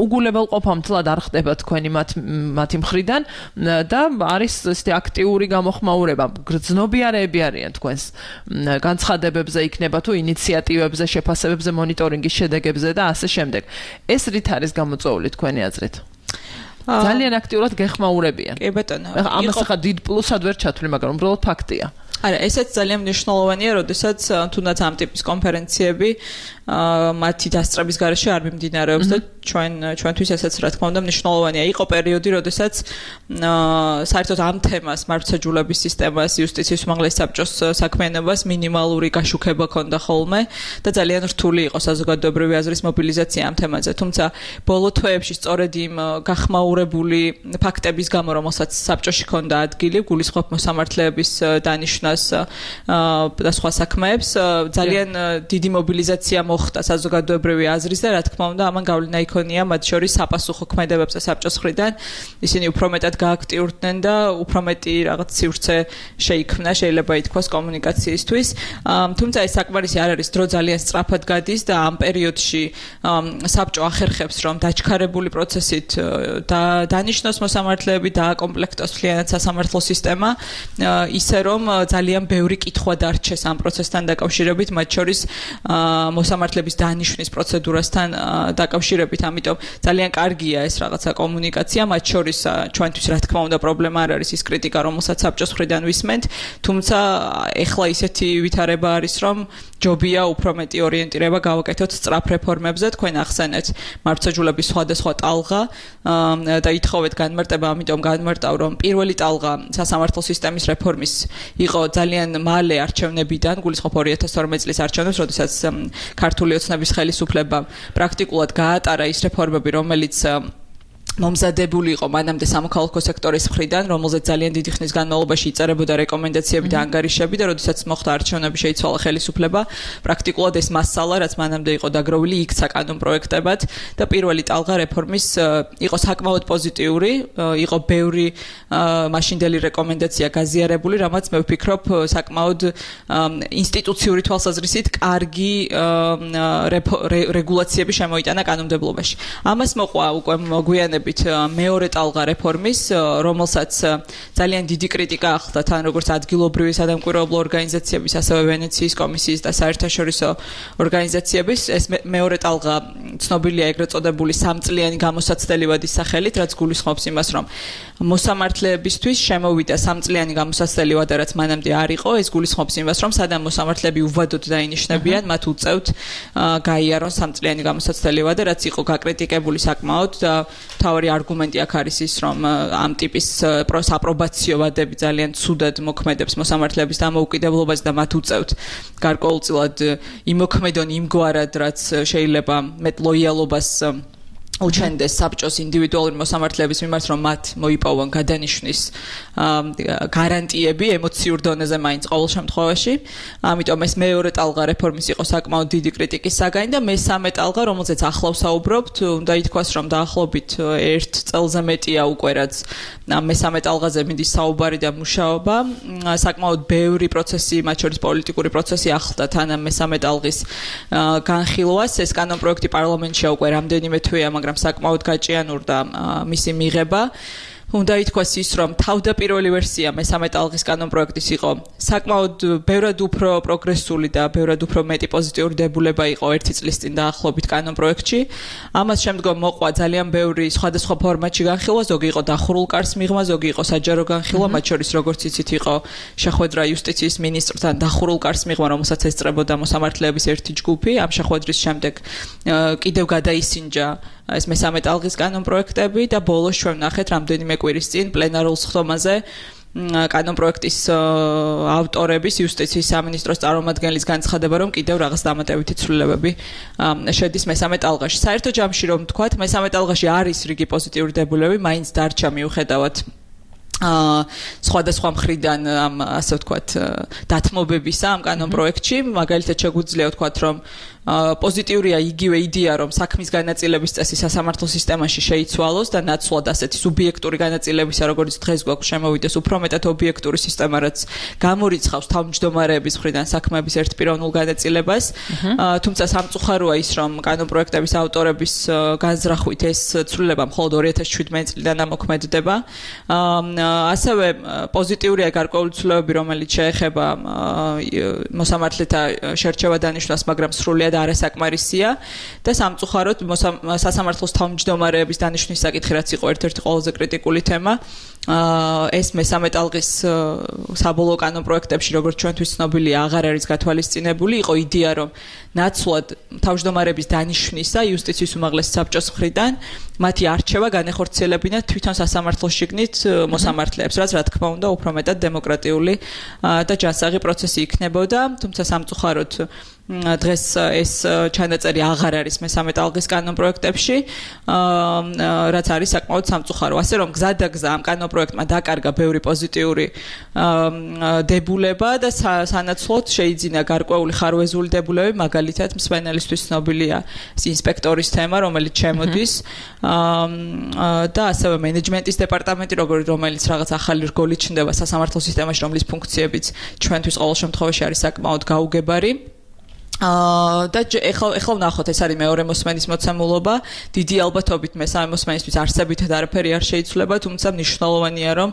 S4: უგულებელყოფამდლად არ ხდება თქვენი მათი მხრიდან და არის ესეთი აქტიური გამოხმაურება. გრძნობიარეები არიან თქვენს განცხადებებზე, იქნება თუ ინიციატივებზე, შეფასებებზე, მონიტორინგის შედეგებზე და ასე შემდეგ. ეს რით არის გამოწვეული თქვენი აზრით? ძალიან აქტიურად გეხმაურებიან.
S5: კი ბატონო.
S4: ამას ახლა დიდ პლუსად ვერ ჩათვლი, მაგრამ უბრალოდ ფაქტია.
S5: არა, ესეც ძალიან მნიშვნელოვანია, როდესაც თუნდაც ამ ტიპის კონფერენციები მათი დასწრების გარეშე არ მიმდინარეობს და ჩვენ ჩვენთვის ესეც რა თქმა უნდა მნიშვნელოვანია. იყო პერიოდი, როდესაც საერთოდ ამ თემას, მართლმსაჯულების სისტემას, იუსტიციის უმაღლესი საბჭოს საქმიანობას მინიმალური გაშუქება ჰქონდა ხოლმე და ძალიან რთული იყო საზოგადოებრივი აზრის მობილიზაცია ამ თემაზე. თუმცა ბოლო თვეებში სწორედ იმ გახმაურებული ფაქტების გამო, რომელსაც საბჭოში ჰქონდა ადგილი, გულისხმობ მოსამართლეების დანიშვნას და სხვა საქმეებს, ძალიან დიდი მობილიზაცია მოხდა საზოგადოებრივი აზრის და რა თქმა უნდა ამან გავლენა იქონია მათ შორის საპასუხო ქმედებებზე საბჭოს მხრიდან. ისინი უფრო მეტად გააქტიურდნენ და უფრო მეტი რაღაც სივრცე შეიქმნა, შეიძლება ითქვას, კომუნიკაციისთვის. თუმცა ეს საკმარისი არ არის, დრო ძალიან სწრაფად გადის და ამ პერიოდში საბჭო ახერხებს, რომ დაჩქარებული პროცესით და დანიშნოს მოსამართლეები და აკომპლექტოს მთლიანად სასამართლო სისტემა, ისე რომ ძალიან ბევრი კითხვა დარჩეს ამ პროცესთან დაკავშირებით, მათ შორის მოსამართლეების დანიშვნის პროცედურასთან დაკავშირებით. ამიტომ ძალიან კარგია ეს რაღაცა კომუნიკაცია, მათ შორის ჩვენთვის რა თქმა უნდა პრობლემა არ არის ის კრიტიკა, რომელსაც საბჭოს მხრიდან ვისმენთ, თუმცა ეხლა ისეთი ვითარება არის, რომ ჯობია უფრო მეტი ორიენტირება გავაკეთოთ სწრაფ რეფორმებზე. თქვენ ახსენეთ მართლმსაჯულების სხვადასხვა ტალღა და ითხოვეთ განმარტება, ამიტომ განმარტავ, რომ პირველი ტალღა სასამართლო სისტემის რეფორმის იყო ძალიან მალე არჩევნებიდან, გულისხმობ ორი ათას თორმეტი წლის არჩევნებს, როდესაც ქართული ოცნების ხელისუფლებამ პრაქტიკულად გაატარა ის რეფორმები, რომელიც მომზადებული იყო მანამდე სამოქალაქო სექტორის მხრიდან, რომელზეც ძალიან დიდი ხნის განმავლობაში იწერებოდა რეკომენდაციები და ანგარიშები და როდესაც მოხდა არჩევნები, შეიცვალა ხელისუფლება, პრაქტიკულად ეს მასალა, რაც მანამდე იყო დაგროვილი, იქცა კანონ პროექტებად და პირველი ტალღა რეფორმის იყო საკმაოდ პოზიტიური, იყო ბევრი მაშინდელი რეკომენდაცია გაზიარებული, რამაც მე ვფიქრობ საკმაოდ ინსტიტუციური თვალსაზრისით კარგი რეგულაციები შემოიტანა კანონმდებლობაში. ამას მოყვა უკვე მოგვიანებით მეორე ტალღა რეფორმის, რომელსაც ძალიან დიდი კრიტიკა ახლდა თან როგორც ადგილობრივი სადამკვირვებლო ორგანიზაციების, ასევე ვენეციის კომისიის და საერთაშორისო ორგანიზაციების. ეს მეორე ტალღა ცნობილია ეგრეთ წოდებული სამწლიანი გამოსაცდელი ვადის სახელით, რაც გულისხმობს იმას, რომ მოსამართლეებისთვის შემოვიდა სამწლიანი გამოსაცდელი ვადა, რაც მანამდე არ იყო. ეს გულისხმობს იმას, რომ სადამ მოსამართლეები უვადოდ დაინიშნებიან, მათ უწევთ გაიარონ სამწლიანი გამოსაცდელი ვადა, რაც იყო გაკრიტიკებული საკმაოდ და მთავარი არგუმენტი აქ არის ის, რომ ამ ტიპის საპრობაციო ვადები ძალიან ცუდად მოქმედებს მოსამართლეების დამოუკიდებლობას და მათ უწევთ გარკვეულწილად იმოქმედონ იმგვარად, რაც შეიძლება მეტ ლოიალობას უჩენდეს საბჭოს ინდივიდუალური მოსამართლეების მიმართ, რომ მათ მოიპოვონ გადანიშნის გარანტიები ემოციურ დონეზე მაინც ყოველ შემთხვევაში. ამიტომ ეს მეორე ტალღა რეფორმის იყო საკმაოდ დიდი კრიტიკის საგანი და მესამე ტალღა, რომელზეც ახლა ვსაუბრობთ, უნდა ითქვას, რომ დაახლოებით ერთ წელზე მეტია უკვე რაც მესამე ტალღაზე მიდის საუბარი და მუშაობა. საკმაოდ ბევრი პროცესი, მათ შორის პოლიტიკური პროცესი ახლდა თან ამ მესამე ტალღის განხილვას. ეს კანონპროექტი პარლამენტშია უკვე რამდენიმე თვეა, მაგრამ საკმაოდ გაჭიანურდა მისი მიღება. უნდა ითქვას ის, რომ თავდაპირველი ვერსია მესამე ტალღის კანონპროექტის იყო საკმაოდ ბევრად უფრო პროგრესული და ბევრად უფრო მეტი პოზიტიური დებულება იყო ერთი წლის წინ დაახლოებით კანონპროექტში. ამას შემდგომ მოყვა ძალიან ბევრი სხვადასხვა ფორმატში განხილვა, ზოგი იყო დახურულ კარს მიღმა, ზოგი იყო საჯარო განხილვა, მათ შორის როგორც იცით იყო შეხვედრა იუსტიციის მინისტრთან დახურულ კარს მიღმა, რომელსაც ესწრებოდა მოსამართლეების ერთი ჯგუფი. ამ შეხვედრის შემდეგ კიდევ გადაისინჯა ეს მესამე ტალღის კანონპროექტები და ბოლოს ჩვენ ვნახეთ რამდენიმე კვირის წინ პლენარულ სხდომაზე კანონპროექტის ავტორების იუსტიციის სამინისტროს წარმომადგენლის განცხადება, რომ კიდევ რაღაც დამატებითი ცვლილებები შედის მესამე ტალღაში. საერთო ჯამში რომ ვთქვათ, მესამე ტალღაში არის რიგი პოზიტიური დებულები, მაინც დარჩა მიუხედავად აა სხვადასხვა მხრიდან ამ ასე ვთქვათ დათმობებისა ამ კანონპროექტში. მაგალითად შეგვიძლია ვთქვათ, რომ პოზიტიურია იგივე იდეა, რომ საქმის განაწილების წესი სასამართლო სისტემაში შეიცვალოს და ნაცვლად ასეთი სუბიექტური განაწილებისა, როგორც დღეს გვაქვს, შემოვიდეს უფრო მეტად ობიექტური სისტემა, რაც გამორიცხავს თავმჯდომარეების მხრიდან საქმეების ერთპიროვნულ განაწილებას. თუმცა სამწუხაროა ის, რომ კანონპროექტების ავტორების განზრახვით ეს ცვლილება მხოლოდ ორი ათას შვიდმეტი წლიდან ამოქმედდება. ასევე პოზიტიურია გარკვეული ცვლილებები, რომელიც შეეხება მოსამართლეთა შერჩევა დანიშვნას, მაგრამ სრულიად არასაკმარისია და სამწუხაროდ სასამართლოს თავმჯდომარეების დანიშვნის საკითხი, რაც იყო ერთ-ერთი ყველაზე კრიტიკული თემა, ეს მესამე ტალღის საბოლოო კანონპროექტებში, როგორც ჩვენთვის ცნობილია, აღარ არის გათვალისწინებული. იყო იდეა, რომ ნაცვლად თავმჯდომარეების დანიშვნისა იუსტიციის უმაღლესი საბჭოს მხრიდან მათი არჩევა განეხორციელებინა თვითონ სასამართლოს შიგნით მოსამართლეებს, რაც რა თქმა უნდა უფრო მეტად დემოკრატიული და ჯანსაღი პროცესი იქნებოდა. თუმცა სამწუხაროდ დღეს ეს ჩანაწერი აღარ არის მესამე ტალღის კანონპროექტებში, რაც არის საკმაოდ სამწუხარო. ასე რომ გზადაგზა ამ კანონპროექტმა დაკარგა ბევრი პოზიტიური დებულება და სანაცვლოდ შეიძინა გარკვეული ხარვეზული დებულები, მაგალითად მსმენელისთვის ცნობილია ინსპექტორის თემა, რომელიც შემოდის და ასევე მენეჯმენტის დეპარტამენტი, რომელიც რაღაც ახალი რგოლით ჩნდება სასამართლო სისტემაში, რომლის ფუნქციებიც ჩვენთვის ყოველ შემთხვევაში არის საკმაოდ გაუგებარი. აა და ეხლა ეხლა ვნახოთ, ეს არის მეორე მოსმენის მოცემულობა. დიდი ალბათობით მესამე მოსმენისთვის არსებითად არაფერი არ შეიცვლება, თუმცა მნიშვნელოვანია, რომ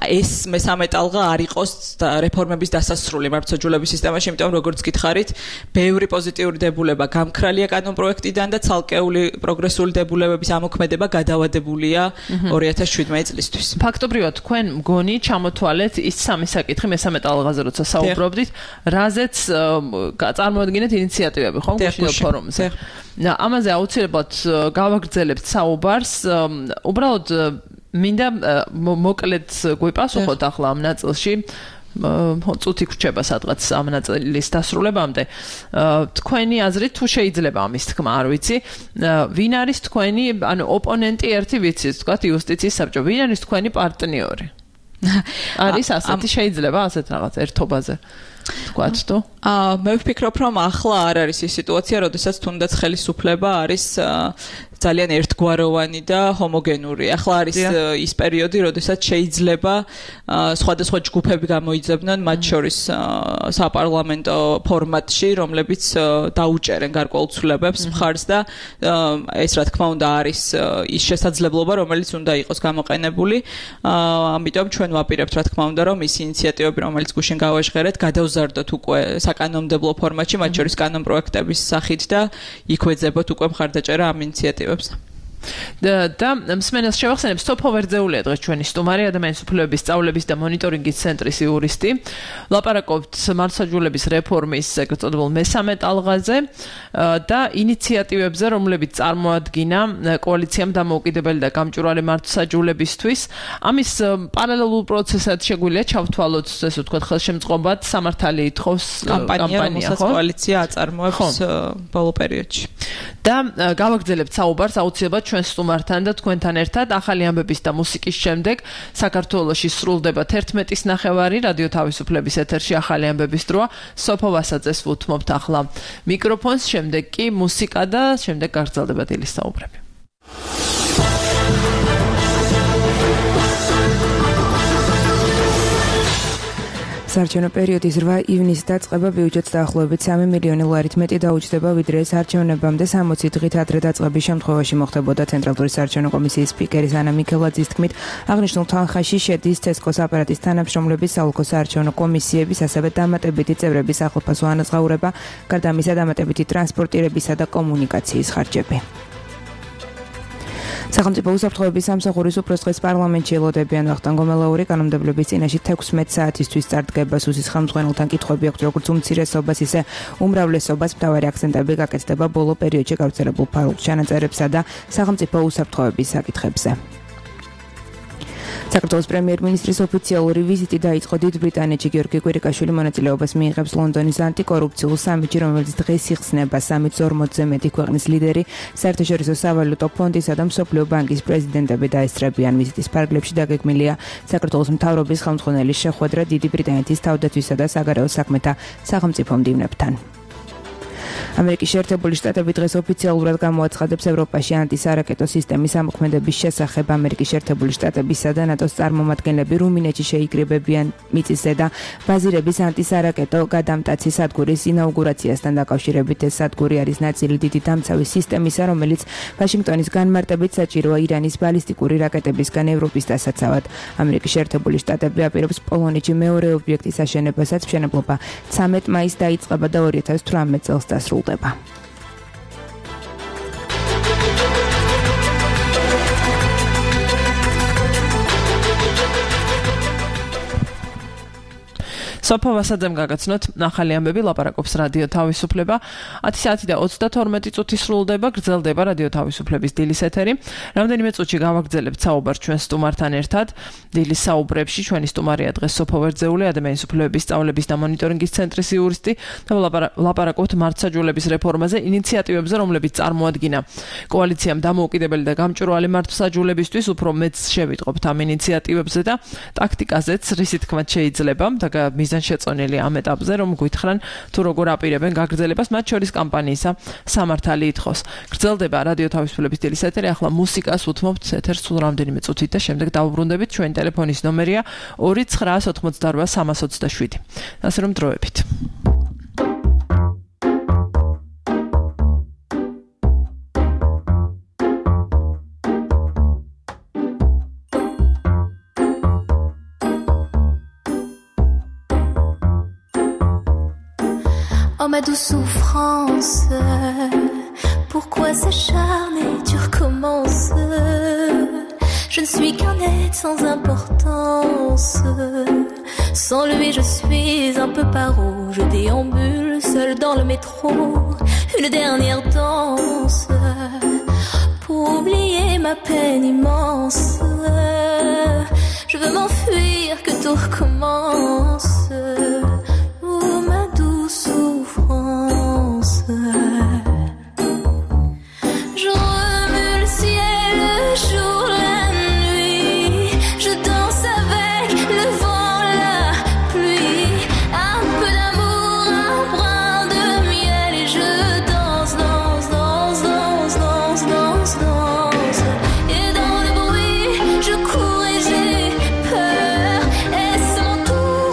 S5: ეს მესამე ტალღა არ იყოს რეფორმების დასასრული მართლმსაჯულების სისტემაში, იმიტომ როგორც გითხარით, ბევრი პოზიტიური დებულება გამქრალია კანონპროექტიდან და ცალკეული პროგრესული დებულებების ამოქმედება გადავადებულია ორი ათას შვიდმეტი წლისთვის.
S4: ფაქტობრივად თქვენ მგონი ჩამოთვალეთ ის სამი საკითხი მესამე ტალღაზე, როცა საუბრობდით, რაზეც წარმოადგენთ ინიციატივები, ხო, გუშინო ფორუმზე. ამაზე აუცილებლად გავაგრძელებთ საუბარს. უბრალოდ მინდა მოკლედ გვიპასუხოთ ახლა ამ ნაწილში. წუთი გრჩება სადღაც ამ ნაწილის დასრულებამდე. თქვენი აზრით თუ შეიძლება ამის თქმა, არ ვიცი, ვინ არის თქვენი, ანუ ოპონენტი ერთი ვიცით, თქვათ იუსტიციის საბჭო, ვინ არის თქვენი პარტნიორი? არის ასეთი, შეიძლება ასეთ რაღაც ერთობაზე თქვათ თუ?
S5: აა მე ვფიქრობ, რომ ახლა არ არის ის სიტუაცია, როდესაც თუნდაც ხელისუფლება არის ძალიან ერთგვაროვანი და ჰომოგენური. ახლა არის ის პერიოდი, როდესაც შეიძლება სხვადასხვა ჯგუფები გამოიძებნონ, მათ შორის საპარლამენტო ფორმატში, რომლებიც დაუჭერენ გარკვეულ ცვლილებებს მხარს და ეს რა თქმა უნდა არის ის შესაძლებლობა, რომელიც უნდა იყოს გამოყენებული. ამიტომ ჩვენ ვაპირებთ რა თქმა უნდა, რომ ის ინიციატივები, რომელიც გუშინ გავაჟღერეთ, გადავზარდოთ უკვე საკანონმდებლო ფორმატში, მათ შორის კანონპროექტების სახით და იქვეძებოთ უკვე მხარდაჭერა ამ ინიციატივებს.
S4: და მსმენელს შევახსენებ, სოფო ვერძეულია დღეს ჩვენი სტუმარი, ადამიანის უფლებების სწავლების და მონიტორინგის ცენტრის იურისტი. ლაპარაკობთ მართლმსაჯულების რეფორმის ეგრეთ წოდებულ მესამე ტალღაზე და ინიციატივებზე, რომლებიც წარმოადგინა კოალიციამ დამოუკიდებელი და გამჭვირვალე მართლმსაჯულებისთვის. ამის პარალელურ პროცესად შეგვიძლია ჩავთვალოთ, ესე ვთქვათ, ხელშემწყობად სამართალი ითხოვს
S5: კამპანია, რომელსაც კოალიცია აწარმოებს ბოლო პერიოდში. და
S4: გავაგრძელებთ საუბარს აუცილებლად ჩვენ სტუმართან და თქვენთან ერთად ახალი ამბების და მუსიკის შემდეგ საქართველოში სრულდება თერთმეტის ნახევარი რადიო თავისუფლების ეთერში ახალი ამბების დროა. სოფო ვასაძეს ვუთმობთ ახლა მიკროფონს, შემდეგ კი მუსიკა და შემდეგ გაგრძელდება დილის საუბრები.
S2: საარჩევნო პერიოდის რვა ივნისს დაწყება ბიუჯეტს დაახლოებით სამი მილიონი ლარით მეტი დაუჯდება, ვიდრე ეს არჩევნებამდე სამოცი დღით ადრე დაწყების შემთხვევაში მოხდებოდა. ცენტრალური საარჩევნო კომისიის სპიკერის ანა მიქელაძის თქმით, აღნიშნულ თანხაში შედის ცესკოს აპარატის თანამშრომლების, საოლქო საარჩევნო კომისიების, ასევე დამატებითი წევრების ახლოფასო ანაზღაურება, გარდა ამისა დამატებითი ტრანსპორტირებისა და კომუნიკაციის ხარჯები. სახელმწიფო უსაფრთხოების სამსახურის უფროსდღეს პარლამენტში ელოდებიან ვახტანგ გომელაური კანონმდებლობის წინაშე თექვსმეტ საათისთვის წარდგება. სუსის ხელმძღვანელთან კითხვები აქვს, როგორც უმცირესობას, ისე უმრავლესობას. მთავარი აქცენტები გაკეთდება ბოლო პერიოდში გავრცელებულ ფარულ ჩანაწერებსა და სახელმწიფო უსაფრთხოების საკითხებზე. საქართველოს პრემიერ-მინისტრის ოფიციალური ვიზიტი დაიწყო დიდ ბრიტანეთში. გიორგი კვირიკაშვილი მონაწილეობას მიიღებს ლონდონის ანტიკორუფციულ სამიტში, რომელიც დღეს იხსნება. სამიტს ორმოცზე მეტი ქვეყნის ლიდერი, საერთაშორისო სავალუტო ფონდისა და მსოფლიო ბანკის პრეზიდენტები დაესწრებიან. ვიზიტის ფარგლებში დაგეგმილია საქართველოს მთავრობის ხელმძღვანელის შეხვედრა დიდი ბრიტანეთის თავდაცვისა და საგარეო საქმეთა სახელმწიფო მდივნებთან. ამერიკის შეერთებული შტატები დღეს ოფიციალურად გამოაცხადებს ევროპაში ანტისარაკეტო სისტემის ამოქმედების შესახებ. ამერიკის შეერთებული შტატებისა და ნატოს წარმომადგენლები რუმინეთში შეიკრიბებიან მიწისზე და ბაზირების ანტისარაკეტო გადამტაცი სადგურის ინაუგურაციასთან დაკავშირებით. ეს სადგური არის ნაწილი დიდი დამცავი სისტემისა, რომელიც ვაშინგტონის განმარტებით საჭიროა ირანის ბალისტიკური რაკეტებისგან ევროპის დასაცავად. ამერიკის შეერთებული შტატები აპირებს პოლონეთში მეორე ობიექტის აშენებასაც. მშენებლობა ცამეტ მაისს დაიწყება და ორი ათას თვრამეტ წელს დასრულდება.
S4: სოფო ვასაძემ გაგაცნოთ ახალი ამბები, ლაპარაკობს რადიო თავისუფლება. ათი საათი და ოცდათორმეტი წუთი სრულდება, გრძელდება რადიო თავისუფლების დილის ეთერი. რამდენიმე წუთში გავაგრძელებთ საუბარს ჩვენ სტუმართან ერთად. დილის საუბრებში ჩვენი სტუმარია დღეს სოფო ვერძეული, ადამიანის უფლებების სწავლების და მონიტორინგის ცენტრის იურისტი და ლაპარაკობთ მართლმსაჯულების რეფორმაზე, ინიციატივებზე, რომლებიც წარმოადგინა კოალიციამ დამოუკიდებელი და გამჭვირვალე მართლმსაჯულებისთვის. უფრო მეც შევიტყობთ ამ ინიციატივებზე და ტაქტიკაზეც, რისი თქმაც შეიძლება და მიზანშეწონილი ამ ეტაპზე, რომ გვითხრან თუ როგორ აპირებენ გაგრძელებას, მათ შორის კამპანიისა სამართალი ითხოვს. გრძელდება რადიო თავისუფლების დილის ეთერი, ახლა მუსიკას უთმობთ ეთერს სულ რამდენიმე წუთით და შემდეგ დავუბრუნდებით. ჩვენი ტელეფონის ნომერია ორი ცხრა ოთხმოცდარვა სამას ოცდაშვიდი. ასე რომ დროებით.
S6: Oh ma douce souffrance, pourquoi s'acharner, tu recommences. Je ne suis qu'un être sans importance. Sans lui je suis un peu paro. Je déambule seul dans le métro. Une dernière danse pour oublier ma peine immense. Je veux m'enfuir, que tout recommence. Oh ma douce souffrance. Je remue le ciel, le jour, la nuit. Je danse avec le vent, la pluie. Un peu d'amour, un brin de miel. Et je danse, danse, danse, danse, danse, danse, danse. Et dans le bruit, je cours et j'ai peur. Est-ce mon tour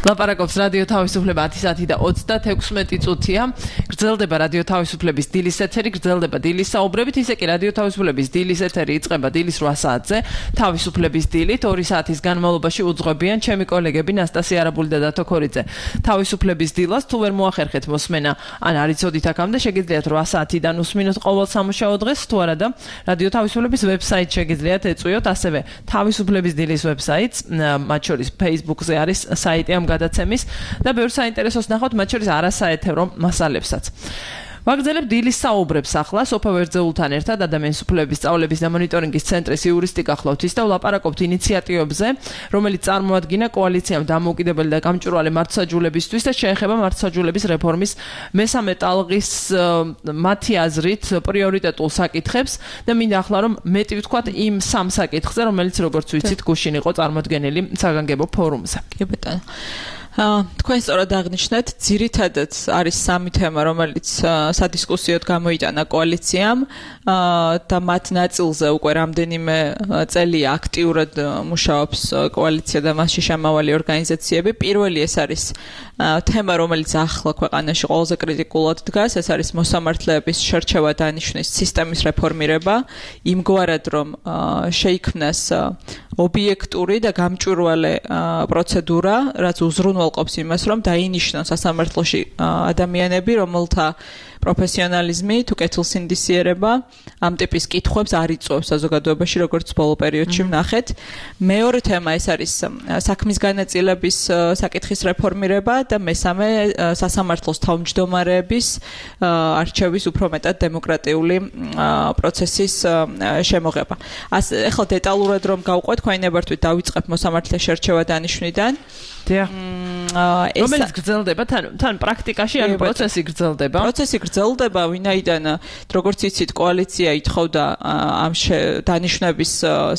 S4: ლაპარაკობს რადიო თავისუფლება ათი საათი და ოცდათექვსმეტი წუთია. გრძელდება რადიო თავისუფლების დილის ეთერი, გრძელდება დილის საუბრებით, ისე კი რადიო თავისუფლების დილის ეთერი იწყება დილის რვა საათზე, თავისუფლების დილით ორი საათის განმავლობაში უძღვებიან ჩემი კოლეგები ნასტასია არაბული და დათო ქორიძე. თავისუფლების დილას თუ ვერ მოახერხეთ მოსმენა, ან არ იცოდით აქამდე, შეგიძლიათ რვა საათიდან უსმინოთ ყოველ სამუშაო დღეს, თუ არა და რადიო თავისუფლების ვებსაიტ შეგიძლიათ ეწვიოთ, ასევე თავისუფლების დილის ვებსაიტს, მათ შორის Facebook-ზე არის საიტი ამ გადაცემის და ბევრ საინტერესოს ნახავთ, მათ შორის არასაეთერო მასალებსაც. ვაგრძელებ დილის საუბრებს ახლა სოფა ვერძეულთან ერთად ადამიანის უფლებების სწავლების და მონიტორინგის ცენტრის იურისტიკა ხლოთის და ვლაპარაკობთ ინიციატივებზე, რომელიც წარმოადგინა კოალიციამ დამოუკიდებელი და გამჭვირვალე მართლმსაჯულებისთვის და შეეხება მართლმსაჯულების რეფორმის მესამე ტალღის მათი აზრით პრიორიტეტულ საკითხებს და მინდა ახლა რომ მეტი ვთქვათ იმ სამ საკითხზე, რომელიც როგორც ვიცით გუშინ იყო წარმოდგენილი საგანგებო ფორუმზე.
S5: კი ბატონო. თქვენ სწორად აღნიშნეთ, ძირითადად არის სამი თემა, რომელიც სადისკუსიოდ გამოიტანა კოალიციამ და მათ ნაწილზე უკვე რამდენიმე წელია აქტიურად მუშაობს კოალიცია და მასში შემავალი ორგანიზაციები. პირველი ეს არის თემა, რომელიც ახლა ქვეყანაში ყველაზე კრიტიკულად დგას, ეს არის მოსამართლეების შერჩევა დანიშვნის სისტემის რეფორმირება, იმგვარად რომ შეიქმნას ობიექტური და გამჭვირვალე პროცედურა, რაც უზრუნველყოფს იმას, რომ დაინიშნოს სასამართლოში ადამიანები, რომელთა პროფესიონალიზმი თუ კეთილსინდისიერება ამ ტიპის კითხვებს არ იწვევს საზოგადოებაში, როგორც ბოლო პერიოდში ვნახეთ. მეორე თემა ეს არის საქმის განაწილების საკითხის რეფორმირება და მესამე სასამართლოს თავმჯდომარეების არჩევის უფრო მეტად დემოკრატიული პროცესის შემოღება. ახლა დეტალურად რომ გავყვეთ, თქვენი ნებართვით დავიწყებ მოსამართლეს შერჩევა დანიშვნიდან.
S4: დიახ. რომელიც გრძელდება თან თან პრაქტიკაში ან პროცესი გრძელდება.
S5: პროცესი გრძელდება, ვინაიდან როგორც იცით, კოალიცია ითხოვდა ამ დანიშვნების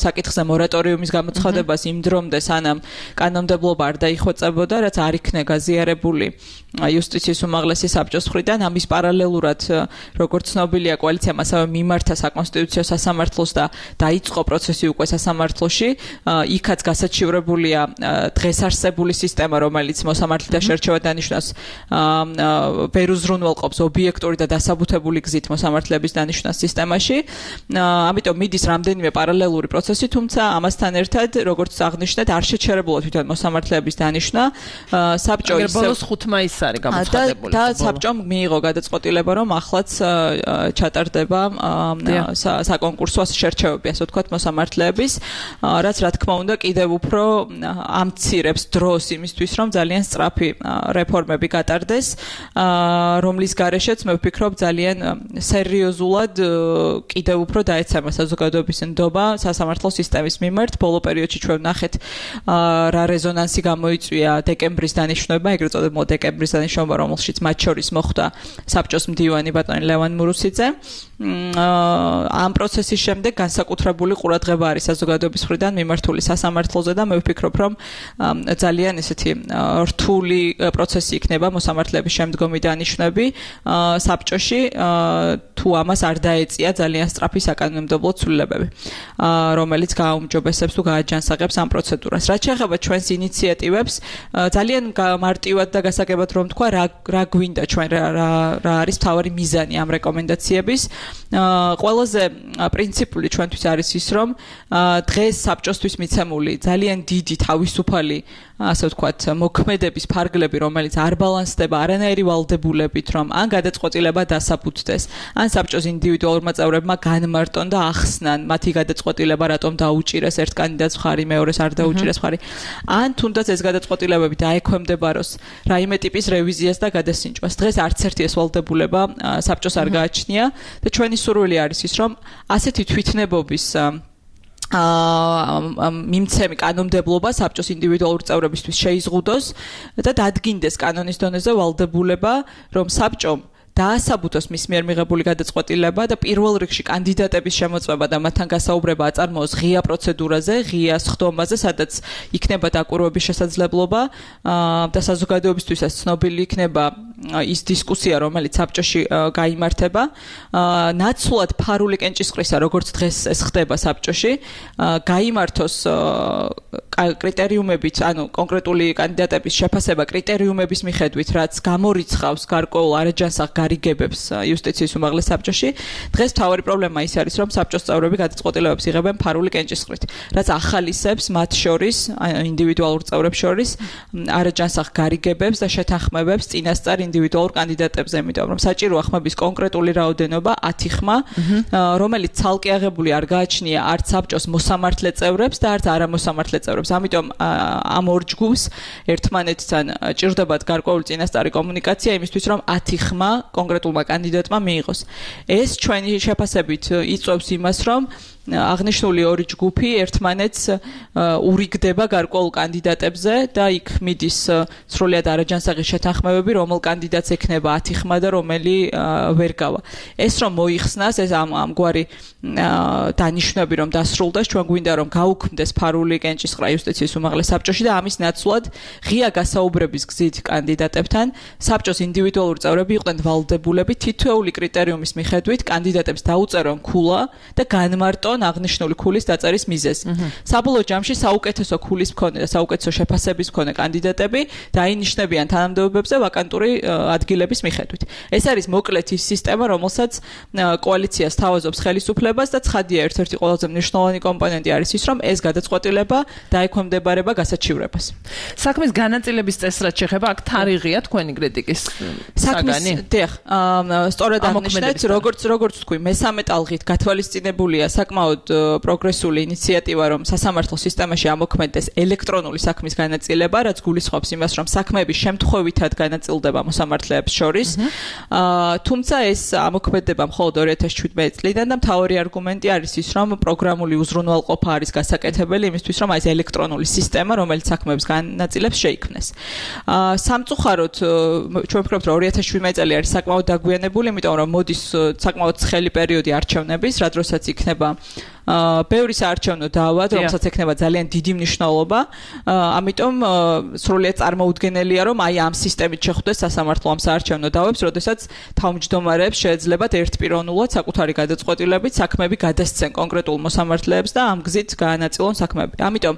S5: საკითხზე მორატორიუმის გამოცხადებას იმ დრომდე, სანამ კანონმდებლობა არ დაიხვეწებოდა, რაც არ იქნა გაზიარებული იუსტიციის უმაღლესი საბჭოს მხრიდან. ამის პარალელურად, როგორც ცნობილია, კოალიციამ ასევე მიმართა საკონსტიტუციო სასამართლოს და დაიწყო პროცესი უკვე სასამართლოში. იქაც გასაჩივრებულია დღეს არსებული სისტემა, რომელიც მოსამართლეთა შერჩევა დანიშვნას ვერ უზრუნველყოფს ობიექტური და დასაბუთებული გზით მოსამართლეების დანიშვნას სისტემაში. ამიტომ მიდის რამდენიმე პარალელური პროცესი, თუმცა ამასთან ერთად, როგორც აღნიშნეთ, არ შეჩერებულა თვითონ მოსამართლეების დანიშვნა. საბჭო
S4: ისე ბოლოს ხუთ მაისს არის გამოცხადებული.
S5: და საბჭომ მიიღო გადაწყვეტილება, რომ ახლაც ჩატარდება საკონკურსო შერჩევები, ასე ვთქვათ, მოსამართლეების, რაც რა თქმა უნდა კიდევ უფრო ამცირებს დროს იმისთვის, რომ ძალიან სწრაფი რეფორმები გატარდეს, რომლის გარეშეც მე ვფიქრობ ძალიან სერიოზულად კიდევ უფრო დაეცემა საზოგადოების ნდობა სასამართლო სისტემის მიმართ. ბოლო პერიოდში ჩვენ ვნახეთ რა რეზონანსი გამოიწვია დეკემბრის დანიშვნება, ეგრეთ წოდებული დეკემბრის დანიშნობა, რომელშიც მათ შორის მოხვდა საბჭოს მდივანი ბატონი ლევან მურუსიძე. ამ პროცესის შემდეგ განსაკუთრებული ყურადღება არის საზოგადოების მხრიდან მიმართული სასამართლოზე და მე ვფიქრობ, რომ ძალიან ესეთი რთული პროცესი იქნება მოსამართლეების შემდგომი დანიშვნები საბჭოში, თუ ამას არ დაეწია ძალიან სწრაფი საკანონმდებლო ცვლილებები, რომელიც გააუმჯობესებს თუ გააჯანსაღებს ამ პროცედურას. რაც შეეხება ჩვენს ინიციატივებს, ძალიან მარტივად და გასაგებად რომ თქვა, რა რა გვინდა ჩვენ რა რა არის მთავარი მიზანი ამ რეკომენდაციების. ყველაზე პრინციპული ჩვენთვის არის ის, რომ დღეს საბჭოსთვის მიცემული ძალიან დიდი თავისუფალი ასე ვთქვათ, მოქმედების ფარგლები, რომელიც არ ბალანსდება არანაირი ვალდებულებით, რომ ან გადაწყვეტილება დასაბუთდეს, ან საბჭოს ინდივიდუალურმა წევრებმა განმარტონ და ახსნან მათი გადაწყვეტილება, რატომ დაუჭირეს ერთ კანდიდატს მხარი, მეორეს არ დაუჭირეს მხარი, ან თუნდაც ეს გადაწყვეტილებები დაექვემდებაროს რაიმე ტიპის რევიზიას და გადასინჯვას. დღეს არც ერთი ეს ვალდებულება საბჭოს არ გააჩნია და ჩვენი სურვილი არის ის, რომ ასეთი თვითნებობის აა მიმცემი კანონმდებლობა საბჭოს ინდივიდუალურ წევრებისთვის შეიზღუდოს და დადგინდეს კანონის დონეზე ვალდებულება, რომ საბჭომ დაასაბუთოს მის მიერ მიღებული გადაწყვეტილება და პირველ რიგში კანდიდატების შემოწმება და მათთან გასაუბრება აწარმოოს ღია პროცედურაზე, ღია სხდომაზე, სადაც იქნება დაკვირვების შესაძლებლობა და საზოგადოებისთვისაც ცნობილი იქნება ის დისკუსია, რომელიც საბჭოში გაიმართება. ნაცვლად ფარული კენჭისყრისა, როგორც დღეს ეს ხდება საბჭოში, გაიმართოს კრიტერიუმებით, ანუ კონკრეტული კანდიდატების შეფასება კრიტერიუმების მიხედვით, რაც გამორიცხავს გარკვეულ არაჯანსაღ გარიგებებს იუსტიციის უმაღლეს საბჭოში. დღეს მთავარი პრობლემა ის არის, რომ საბჭოს წევრები გადაწყვეტილებებს იღებენ ფარული კენჭისყრით, რაც ახალისებს მათ შორის, ინდივიდუალურ წევრებს შორის არაჯანსაღ გარიგებებს და შეთანხმებებს წინასწარ ინდივიდუალურ კანდიდატებზე, იმიტომ რომ საჭიროა ხმების კონკრეტული რაოდენობა ათი ხმა, რომელიც ცალკე აღებული არ გააჩნია არც საბჭოს მოსამართლე წევრებს და არც არამოსამართლე წევრებს. ამიტომ ამ ორ ჯგუფს ერთმანეთთან ჭირდებათ გარკვეული წინასწარი კომუნიკაცია იმისთვის, რომ ათი ხმა კონკრეტულმა კანდიდატმა მიიღოს. ეს ჩვენი შეფასებით იწვევს იმას, რომ აღნიშნული ორი ჯგუფი ერთმანეთს ურიგდება გარკვეულ კანდიდატებზე და იქ მიდის სრულიად არაჯანსაღი შეთანხმებები, რომელ კანდიდატს ექნება ათი ხმა და რომელი ვერ გავა. ეს რომ მოიხსნას, ეს ამ ამგვარი დანიშნები რომ დასრულდეს, ჩვენ გვინდა რომ გაუქმდეს ფარული კენჭისყრა იუსტიციის უმაღლეს საბჭოში და ამის ნაცვლად ღია გასაუბრების გზით კანდიდატებთან საბჭოს ინდივიდუალური წევრები იყვნენ ვალდებულები თითოეული კრიტერიუმის მიხედვით კანდიდატებს დაუწერონ ქულა და განმარტონ აღნიშნული ქულის დაწერის მიზეზი. საბოლოო ჯამში საუკეთესო ქულის მქონე და საუკეთესო შეფასების მქონე კანდიდატები დაინიშნებიან თანამდებობებზე ვაკანტური ადგილების მიხედვით. ეს არის მოკლედ ის სისტემა, რომელსაც კოალიციას თავაზობს ხელისუფლებას და ცხადია ერთ-ერთი ყველაზე მნიშვნელოვანი კომპონენტი არის ის, რომ ეს გადაწყვეტილება დაექვემდებარება გასაჩივრებას.
S4: საქმის განაწილების წესრად შეხება აქ თარიღია თქვენი კრიტიკის საგანი?
S5: დიახ, სწორად აღნიშნეთ, როგორც როგორც თქვი, მესამე ტალღით გათვალისწინებულია საკმაოდ პროგრესული ინიციატივა, რომ სასამართლო სისტემაში ამოქმედდეს ელექტრონული საქმის განაწილება, რაც გულისხმობს იმას, რომ საქმეები შემთხვევითად განაწილდება მოსამართლეებს შორის. თუმცა ეს ამოქმედება მხოლოდ ორი ათას შვიდმეტი წლიდან და მთავარი არგუმენტი არის ის, რომ პროგრამული უზრუნველყოფა არის გასაკეთებელი იმისთვის, რომ ეს ელექტრონული სისტემა, რომელიც საქმეებს განაწილებს, შეიქმნეს. სამწუხაროდ, ჩვენ ვფიქრობთ, რომ ორი ათას შვიდმეტი წელი არის საკმაოდ დაგვიანებული, იმიტომ რომ მოდის საკმაოდ ცხელი პერიოდი არჩევნების, რა დროსაც იქნება ბევრი საარჩევნო დავა, რომელსაც ექნება ძალიან დიდი მნიშვნელობა. ამიტომ სრულიად წარმოუდგენელია, რომ აი ამ სისტემით შეხვდეს სასამართლო ამ საარჩევნო დავებს, როდესაც თავმჯდომარეებს შეეძლებათ ერთპიროვნულად საკუთარი გადაწყვეტილებით საქმეები გადასცენ კონკრეტულ მოსამართლეებს და ამ გზით გაანაწილონ საქმეები. ამიტომ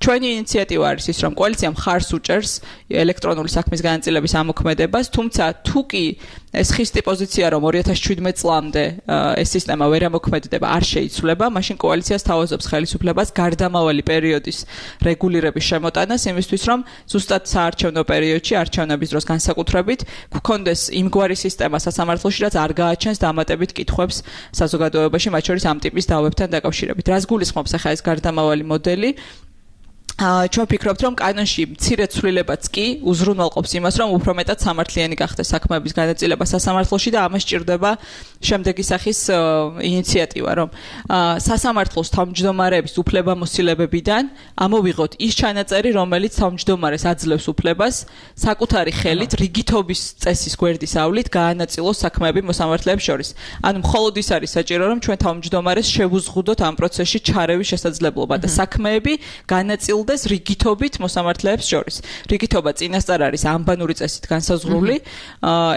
S5: ჩვენი ინიციატივა არის ის, რომ კოალიცია მხარს უჭერს ელექტრონული საქმის განაწილების ამოქმედებას, თუმცა თუ კი ეს ხისტი პოზიცია, რომ ორი ათას შვიდმეტი წლამდე ეს სისტემა ვერ ამოქმედდება, არ შეიცვლება, მაშინ კოალიციას თავაზობს ხელისუფლებას გარდამავალი პერიოდის რეგულირების შემოტანას, იმისთვის, რომ ზუსტად საარჩევნო პერიოდში, არჩევნების დროს განსაკუთრებით, გქონდეს იმგვარი სისტემა სასამართლოში, რაც არ გააჩენს დამატებით კითხვებს საზოგადოებაში, მათ შორის ამ ტიპის დავებთან დაკავშირებით. რას გულისხმობს ახლა ეს გარდამავალი მოდელი? ჩვენ ვფიქრობთ, რომ კანონში მცირე ცვლილებაც კი უზრუნველყოფს იმას, რომ უფრო მეტად სამართლიანი გახდეს საქმეების განაწილება სასამართლოში და ამას ჭირდება შემდეგი სახის ინიციატივა, რომ სასამართლოს თავმჯდომარეების უფლებამოსილებებიდან ამოვიღოთ ის ჩანაწერი, რომელიც თავმჯდომარეს აძლევს უფლებას საკუთარი ხელით რიგითობის წესის გვერდის ავლით გაანაწილოს საქმეები მოსამართლეებს შორის. ანუ მხოლოდ ის არის საჭირო, რომ ჩვენ თავმჯდომარეს შევუზღუდოთ ამ პროცესში ჩარევის შესაძლებლობა და საქმეები განაწილდეს რიგითობით მოსამართლეებს შორის. რიგითობა წინასწარ არის ანბანური წესით განსაზღვრული,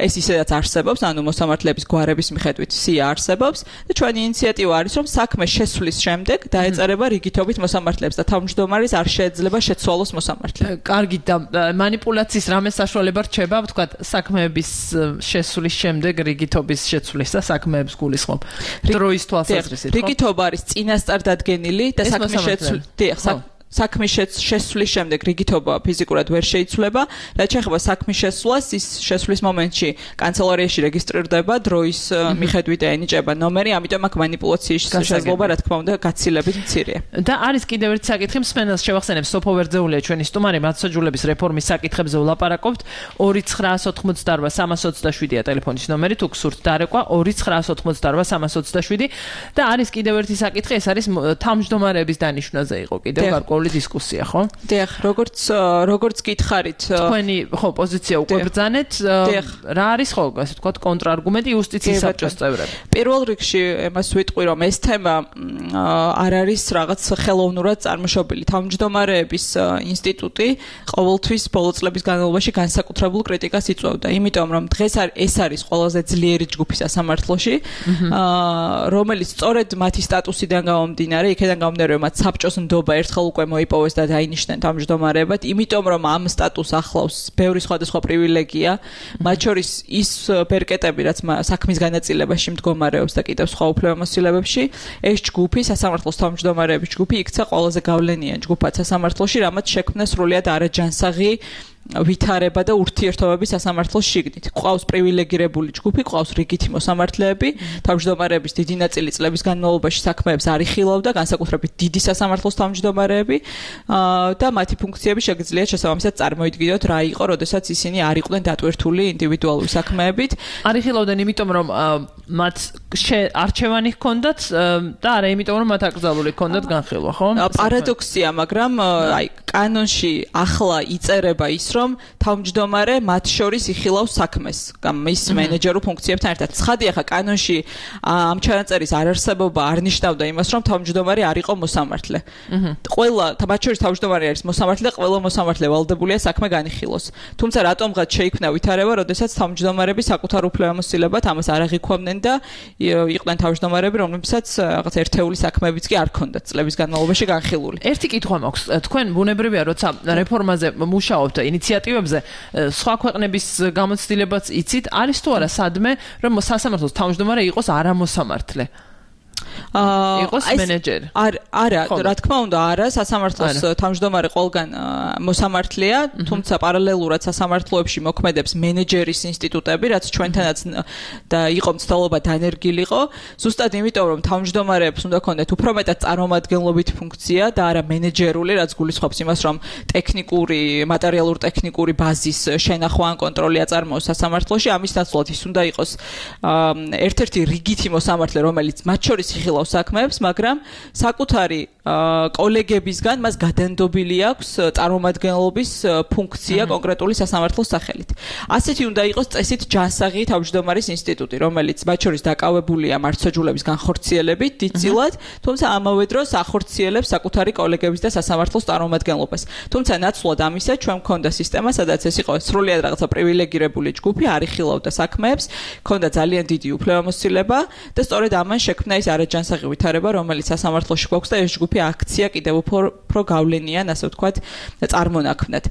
S5: ეს ისედაც არსებობს, ანუ მოსამართლეების გვარების მიხედვით სია არსებობს და ჩვენი ინიციატივა არის, რომ საქმე შესვლის შემდეგ დაეწერება რიგითობით მოსამართლეებს და თავმჯდომარის არ შეეძლება შეცვალოს მოსამართლე.
S4: კარგი და მანიპულაციის რამე საშუალება რჩება, ვთქვათ, საქმეების შესვლის შემდეგ რიგითობის შეცვლის და საქმეებს გულისხმობ. დროის თვალსაზრისით, ხო?
S5: რიგითობა არის წინასწარ დადგენილი და საქმე შეცვლის. დიახ, საქმის შესვლის შემდეგ რიგითობა ფიზიკურად ვერ შეიცვლება. რაც შეეხება საქმის შესვლას, ის შესვლის მომენტში კანცელარიაში რეგისტრირდება, დროის მიხედვით ენიჭება ნომერი, ამიტომ აქ მანიპულაციის შესაძლებლობა, რა თქმა უნდა, გაცილებით მცირეა.
S4: და არის კიდევ ერთი საკითხი, მსმენელს შევახსენებ, სოფო ვერძეულია ჩვენი სტუმარი, მათსაჯულების რეფორმის საკითხებზე ვლაპარაკობთ. ორი ცხრაას ოცდაოთხმოცდაარბა სამას ოცდაშვიდია ტელეფონის ნომერი, თუ გსურთ დარეკვა ორი ცხრაას ოცდაოთხმოცდაარბა სამას ოცდაშვიდი და არის კიდევ ერთი საკითხი, ეს არის თავმჯდომარეების დანიშვნაზე იყო კიდევ გარკვეული გარკვეული დისკუსია, ხო?
S5: დიახ, როგორც როგორც გითხარით,
S4: თქვენი ხო პოზიცია უკვე ბრძანეთ, რა არის ხო, ასე ვთქვათ, კონტრარგუმენტი იუსტიციის საბჭოს წევრები?
S5: პირველ რიგში იმას ვიტყვი, რომ ეს თემა არ არის რაღაც ხელოვნურად წარმოშობილი. თავმჯდომარეების ინსტიტუტი ყოველთვის ბოლო წლების განმავლობაში განსაკუთრებულ კრიტიკას იწვევდა, იმიტომ რომ დღეს ეს არის ყველაზე ძლიერი ჯგუფი სასამართლოში, რომელიც სწორედ მათი სტატუსიდან გამომდინარე, იქიდან გამომდინარე, რომ მათ საბჭოს ნდობა ერთხელ უკვე მოიპოვეს და დაინიშნენ თავმჯდომარეებად, იმიტომ რომ ამ სტატუსს ახლავს ბევრი სხვადასხვა პრივილეგია, მათ შორის ის ბერკეტები, რაც საქმის განაწილებაში მდგომარეობს და კიდევ სხვა უფლებამოსილებებში, ეს ჯგუფი, სასამართლოს თავმჯდომარეების ჯგუფი იქცა ყველაზე გავლენიან ჯგუფად სასამართლოში, რამაც შექმნა სრულიად არაჯანსაღი ვითარება და ურთიერთობები სასამართლოს შიგნით. ყავს პრივილეგირებული ჯგუფი, ყავს რიგითი მოსამართლეები, თავმჯდომარეების დიდი ნაწილი წლების განმავლობაში საქმეებს არ იხილავდა, განსაკუთრებით დიდი სასამართლოს თავმჯდომარეები და მათი ფუნქციები შეგიძლიათ შესაბამისად წარმოიდგინოთ რა იყო, როდესაც ისინი არ იყვნენ დატვირთული ინდივიდუალური საქმეებით.
S4: არ იხილავდნენ იმიტომ, რომ მათ არჩევანი ჰქონდათ და არა იმიტომ, რომ მათ აკრძალული ჰქონდათ განხილვა, ხო?
S5: პარადოქსია, მაგრამ აი კანონში ახლა იწერება ის, რომ თავმჯდომარე მათ შორის იხილავს საქმეს, მის მენეჯერულ ფუნქციებთან ერთად. ცხადია, ხა კანონში ამ ჩანაწერის არარსებობა არ ნიშნავდა იმას, რომ თავმჯდომარე არ იყო მოსამართლე. ყველა მათ შორის თავმჯდომარე არის მოსამართლე, ყველა მოსამართლე ვალდებულია საქმე განიხილოს. თუმცა რატომღაც შეიქმნა ვითარება, როდესაც თავმჯდომარები საკუთარ უფლებამოსილებად ამას არ აღიქვამდნენ და იყვნენ თავმჯდომარეები, რომლებსაც რაღაც ერთეული საქმეებიც კი არ ჰქონდათ წლების განმავლობაში განხილული.
S4: ერთი კითხვა მაქვს. თქვენ ბუნებრივია, როცა რეფორმაზე მუშაობთ, ინიციატივებზე, სხვა ქვეყნების გამოცდილებაც იცით, არის თუ არა სადმე, რომ სასამართლოს თავმჯდომარე იყოს არამოსამართლე? იყოს მენეჯერი.
S5: არ არა, რა თქმა უნდა, არა, სასამართლოს თავმჯდომარე ყველგან მოსამართლეა, თუმცა პარალელურად სასამართლოებში მოქმედებს მენეჯერის ინსტიტუტები, რაც ჩვენთანაც და იყო მცდელობა დანერგილიყო, ზუსტად იმიტომ, რომ თავმჯდომარეებს უნდა ქონდეთ უფრო მეტად წარმომადგენლობით ფუნქცია და არა მენეჯერული, რაც გულისხმობს იმას, რომ ტექნიკური, მატერიალურ-ტექნიკური ბაზის შენახვა ან კონტროლი აწარმოოს სასამართლოში, ამის ნაცვლად ის უნდა იყოს ერთ-ერთი რიგითი მოსამართლე, რომელიც მათ შორის იხილავს საქმეებს, მაგრამ საკუთარი კოლეგებისგან მას გადანდობილი აქვს წარმომადგენლობის ფუნქცია კონკრეტული სასამართლოს სახელით. ასეთი უნდა იყოს წესით ჯანსაღი თავმჯდომარის ინსტიტუტი, რომელიც მათ შორის დაკავებულია მართლმსაჯულების განხორციელებით დიდწილად, თუმცა ამავე დროს ახორციელებს საკუთარი კოლეგების და სასამართლოს წარმომადგენლობას. თუმცა ნაცვლად ამისა ჩვენ მქონდა სისტემა, სადაც ეს იყო სრულიად რაღაცა პრივილეგირებული ჯგუფი, არ იხილავდა საქმეებს, მქონდა ძალიან დიდი უფლებამოსილება და სწორედ ამან შექმნა ის არაჯანსაღი ვითარება, რომელიც სასამართლოში გვაქვს და ეს ჯგუფი აქცია კიდევ უფრო გავლენიან, ასე ვთქვათ, წარმონაქმნად.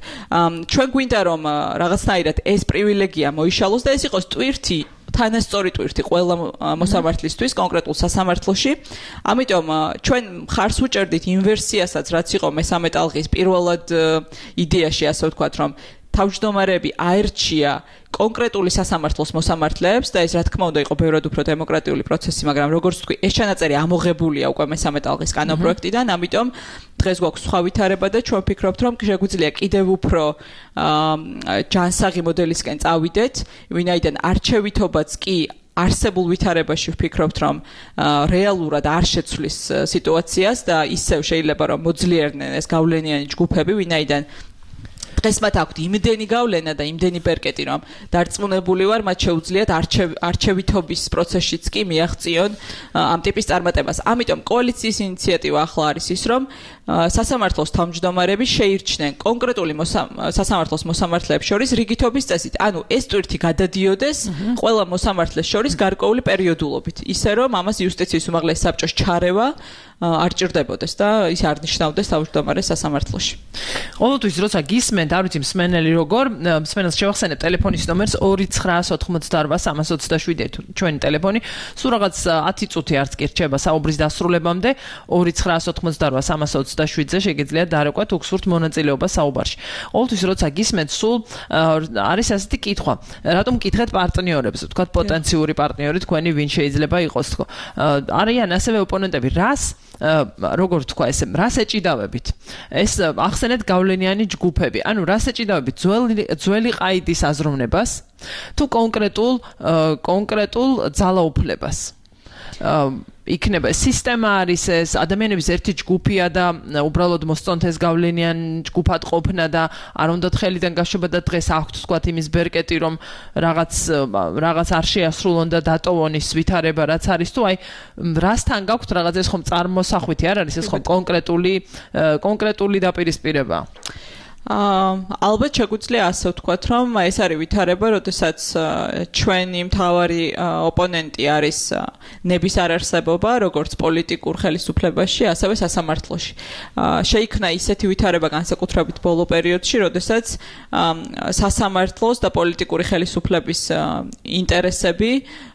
S5: ჩვენ გვინდა რომ რაღაცნაირად ეს პრივილეგია მოიშალოს და ეს იყოს ტვირთი თანასწორი ტვირთი ყველა მოსამართლისთვის კონკრეტულ სასამართლოში. ამიტომ ჩვენ მხარს უჭერდით იმ ვერსიასაც, რაც იყო მესამე ტალღის პირველად იდეაში, ასე ვთქვათ, რომ თავმჯდომარეები აერჩია კონკრეტული სასამართლოს მოსამართლეებს და ეს რა თქმა უნდა იყო ბევრად უფრო დემოკრატიული პროცესი, მაგრამ როგორც ვთქვი, ეს ჩანაწერი ამოღებულია უკვე მესამე ტალღის კანონპროექტიდან, ამიტომ დღეს გვაქვს სხვა ვითარება და ჩვენ ვფიქრობთ, რომ შეგვიძლია კიდევ უფრო ჯანსაღი მოდელისკენ წავიდეთ, ვინაიდან არჩევითობაც კი არსებულ ვითარებაში ვფიქრობთ, რომ რეალურად არ შეცვლის სიტუაციას და ისევ შეიძლება რომ მოძლიერდნენ ეს გავლენიანი ჯგუფები, ვინაიდან დღეს მათ აქვთ იმდენი გავლენა და იმდენი პერკეტი, რომ დარწმუნებული ვარ, მათ შეუძლიათ არჩევითობის პროცესშიც კი მიაღწიონ ამ ტიპის წარმატებას. ამიტომ კოალიციის ინიციატივა ახლა არის ის, რომ სასამართლოს თავმჯდომარები შეირჩნენ კონკრეტული სასამართლოს მოსამართლეებს შორის რიგითობის წესით. ანუ ეს ტვირთი გადადიოდეს ყველა მოსამართლეს შორის გარკვეული პერიოდულობით, ისე რომ ამას იუსტიციის უმაღლეს საბჭოს ჩარევა არ ჭირდებოდეს და ის არ ნიშნავდეს თავმჯდომარეს სასამართლოში.
S4: ყოველთვის როცა გისმენთ, არ ვიცი მსმენელი როგორ, მსმენელს შევახსენებ ტელეფონის ნომერს ორი ცხრა ოთხმოცდაოთხ სამას ოცდაშვიდი ჩვენი ტელეფონი. სულ რაღაც ათი წუთი არც კი რჩება საუბრის დასრულებამდე. ორი ცხრა ოთხმოცდაოთხ სამას ოცდაშვიდზე შეგიძლიათ დარკვათ უგსურთ მონაწილეობა საუბარში. ყოველთვის როცა გისმენთ, სულ არის ასეთი კითხვა. რატომ მკითხეთ პარტნიორებს, ვთქვათ პოტენციური პარტნიორი თქვენი ვინ შეიძლება იყოს თქო. არიან ასევე ოპონენტები, რას როგორ თქვა ესე, რას ეჭიდავებით? ეს ახსენეთ გავლენიანი ჯგუფები. ანუ რას ეჭიდავებით? ძველი ძველი ყაიდის აზროვნებას თუ კონკრეტულ კონკრეტულ ძალაუფლებას? იქნება სისტემა არის ეს ადამიანების ერთი ჯგუფია და უბრალოდ მოსწონთ ეს გავლენიან ჯგუფად ყოფნა და არ უნდათ ხელიდან გაშვება და დღეს აქვთ თქვათ იმის ბერკეტი რომ რაღაც რაღაც არ შეასრულონ და დატოვონ ის ვითარება რაც არის თუ აი რასთან გაქვთ რაღაც ეს ხომ წარმოსახვითი არ არის ეს ხომ კონკრეტული კონკრეტული დაპირისპირება
S5: აა ალბათ შეგვიძლია ასე ვთქვათ, რომ ეს არის ვითარება, როდესაც ჩვენი მთავარი ოპონენტი არის ნების არარსებობა, როგორც პოლიტიკურ ხელისუფლებაში, ასევე სასამართლოში. შეიქმნა ისეთი ვითარება განსაკუთრებით ბოლო პერიოდში, როდესაც სასამართლოს და პოლიტიკური ხელისუფლების ინტერესები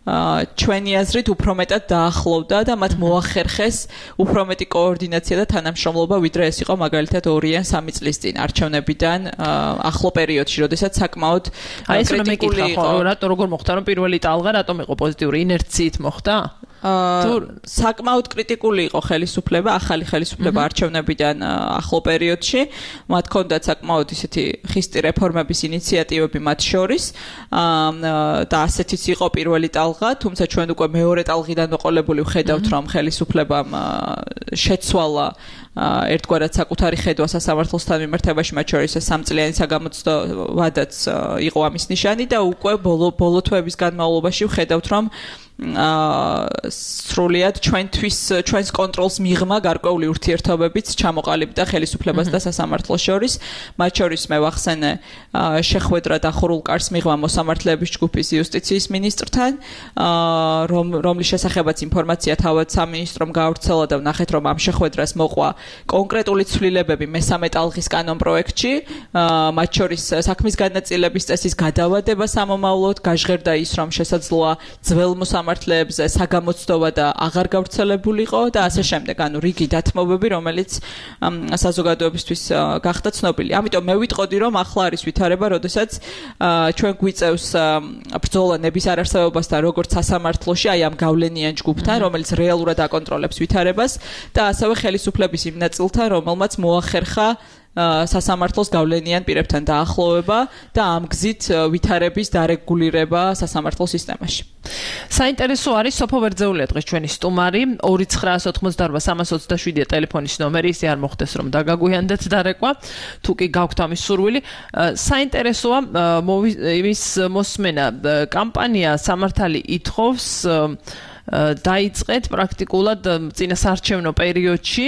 S5: ჩვენი აზრით უფრო მეტად დაახლოვდა და მათ მოახერხეს უფრო მეტი კოორდინაცია და თანამშრომლობა, ვიდრე ეს იყო მაგალითად ორი ან სამი წლის წინ არჩევნებიდან ახლო პერიოდში, როდესაც საკმაოდ კრიტიკული იყო.
S4: რატო როგორ მოხდა რომ პირველი ტალღა რატომ იყო პოზიტიური ინერციით მოხდა?
S5: თუ საკმაოდ კრიტიკული იყო ხელისუფლება, ახალი ხელისუფლება არჩევნებიდან ახლო პერიოდში, მათ ჰქონდათ საკმაოდ ისეთი ხისტი რეფორმების ინიციატივები მათ შორის და ასეთიც იყო პირველი ტალღა, თუმცა ჩვენ უკვე მეორე ტალღიდან მოყოლებული ვხედავთ, რომ ხელისუფლებამ შეცვალა ერთგვარად საკუთარი ხედვა სასამართლოსთან მიმართებაში, მათ შორის სამწლიანი საგამოცდო ვადაც იყო ამის ნიშანი და უკვე ბოლო ბოლო თვეების განმავლობაში ვხედავთ, რომ აა სრულიად ჩვენთვის ჩვენს კონტროლს მიღმა გარკვეული ურთიერთობებიც ჩამოყალიბდა ხელისუფლებას და სასამართლოს შორის. მათ შორის მე ვახსენე შეხვედრა დახურულ კარს მიღმა მოსამართლეების ჯგუფის იუსტიციის მინისტრთან, რომ რომლის შესახებაც ინფორმაცია თავად სამინისტრომ გაავრცელა და ვნახეთ, რომ ამ შეხვედრას მოყვა კონკრეტული ცვლილებები მესამე ტალღის კანონ პროექტში, მათ შორის საქმის განაწილების წესის გადავადება სამომავლოდ, გაჟღერდა ის, რომ შესაძლოა ძველ მოსამართლეებზე საგამოცდოვა და აღარ გავრცელებულიყო და ასე შემდეგ, ანუ რიგი დათმობები, რომელიც საზოგადოებისთვის გახდა ცნობილი. ამიტომ მე ვიტყოდი, რომ ახლა არის ვითარება, როდესაც ჩვენ გვიწევს ბრძოლა ნების არარსებობასთან, როგორც სასამართლოში, აი ამ გავლენიან ჯგუფთან, რომელიც რეალურად აკონტროლებს ვითარებას და ასევე ხელისუფლების იმ ნაწილთან, რომელმაც მოახერხა სასამართლოს გავლენიან პირებთან დაახლოვება და ამ გზით ვითარების დარეგულირება სასამართლოს სისტემაში.
S4: საინტერესო არის სოფო ვერძეულია დღეს ჩვენი სტუმარი ორი ცხრაას ოცდაოთხმოცდაარბა სამას ოცდაშვიდია ტელეფონის ნომერი, ისე არ მოხდეს რომ დაგაგვიანდეთ დარეკვა, თუ კი გაქვთ ამის სურვილი. საინტერესოა იმის მოსმენა კამპანია სამართალი ითხოვს დაიწყეთ პრაქტიკულად წინასარჩევნო პერიოდში.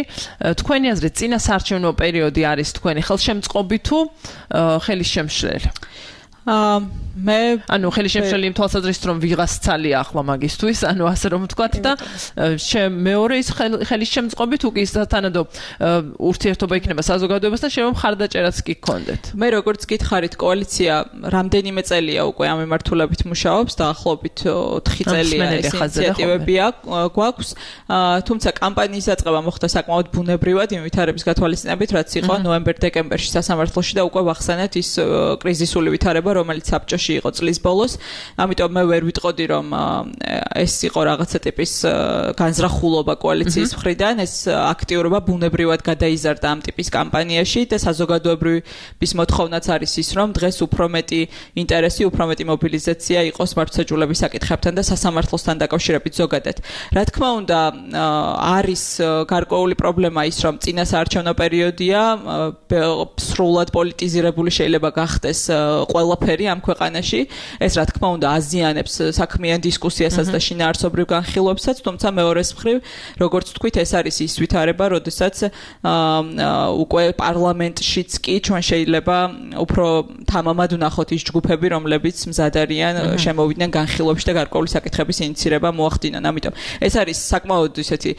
S4: თქვენი აზრით წინასარჩევნო პერიოდი არის თქვენი ხელშემწყობი თუ ხელისშემშლელი? მე ანუ ხელისშემშლელი იმ თვალსაზრისით რომ ვიღას ცალია ახლა მაგისთვის, ანუ ასე რომ ვთქვათ და მეორე ის ხელისშემწყობი თუ კი სათანადო ურთიერთობა იქნება საზოგადოებასთან, შეიძლება მხარდაჭერაც კი გქონდეთ.
S5: მე როგორც გითხარით, კოალიცია რამდენიმე წელია უკვე ამ მიმართულებით მუშაობს, დაახლოებით ოთხი წელია ეს ინიციატივები გვაქვს, თუმცა კამპანიის დაწყება მოხდა საკმაოდ ბუნებრივად იმ ვითარების გათვალისწინებით, რაც იყო ნოემბერ-დეკემბერში სასამართლოში და უკვე ვახსენეთ ის კრიზისული ვითარება, რომელიც საბჭოში იყო წლის ბოლოს. ამიტომ მე ვერ ვიტყოდი, რომ ეს იყო რაღაცა ტიპის განზრახულობა კოალიციის მხრიდან, ეს აქტიურობა ბუნებრივად გადაიზარდა ამ ტიპის კამპანიაში და საზოგადოებრივის მოთხოვნაც არის ის, რომ დღეს უფრო მეტი ინტერესი, უფრო მეტი მობილიზაცია იყოს მართლმსაჯულების საკითხებთან და სასამართლოსთან დაკავშირებით ზოგადად. რა თქმა უნდა, არის გარკვეული პრობლემა ის, რომ წინასაარჩევნო პერიოდია, სრულად პოლიტიზირებული შეიძლება გახდეს ყველაფერი ამ ქვეყანაში. ეს რა თქმა უნდა აზიანებს საქმიან დისკუსიასაც და შინაარსობრივ განხილვებსაც, თუმცა მეორეს მხრივ, როგორც თქვით, ეს არის ის ვითარება, როდესაც უკვე პარლამენტშიც კი ჩვენ შეიძლება უფრო თამამად ვნახოთ ის ჯგუფები, რომლებიც მზად არიან შემოვიდნენ განხილვებში და გარკვეული საკითხების ინიცირება მოახდინონ. ამიტომ ეს არის საკმაოდ ისეთი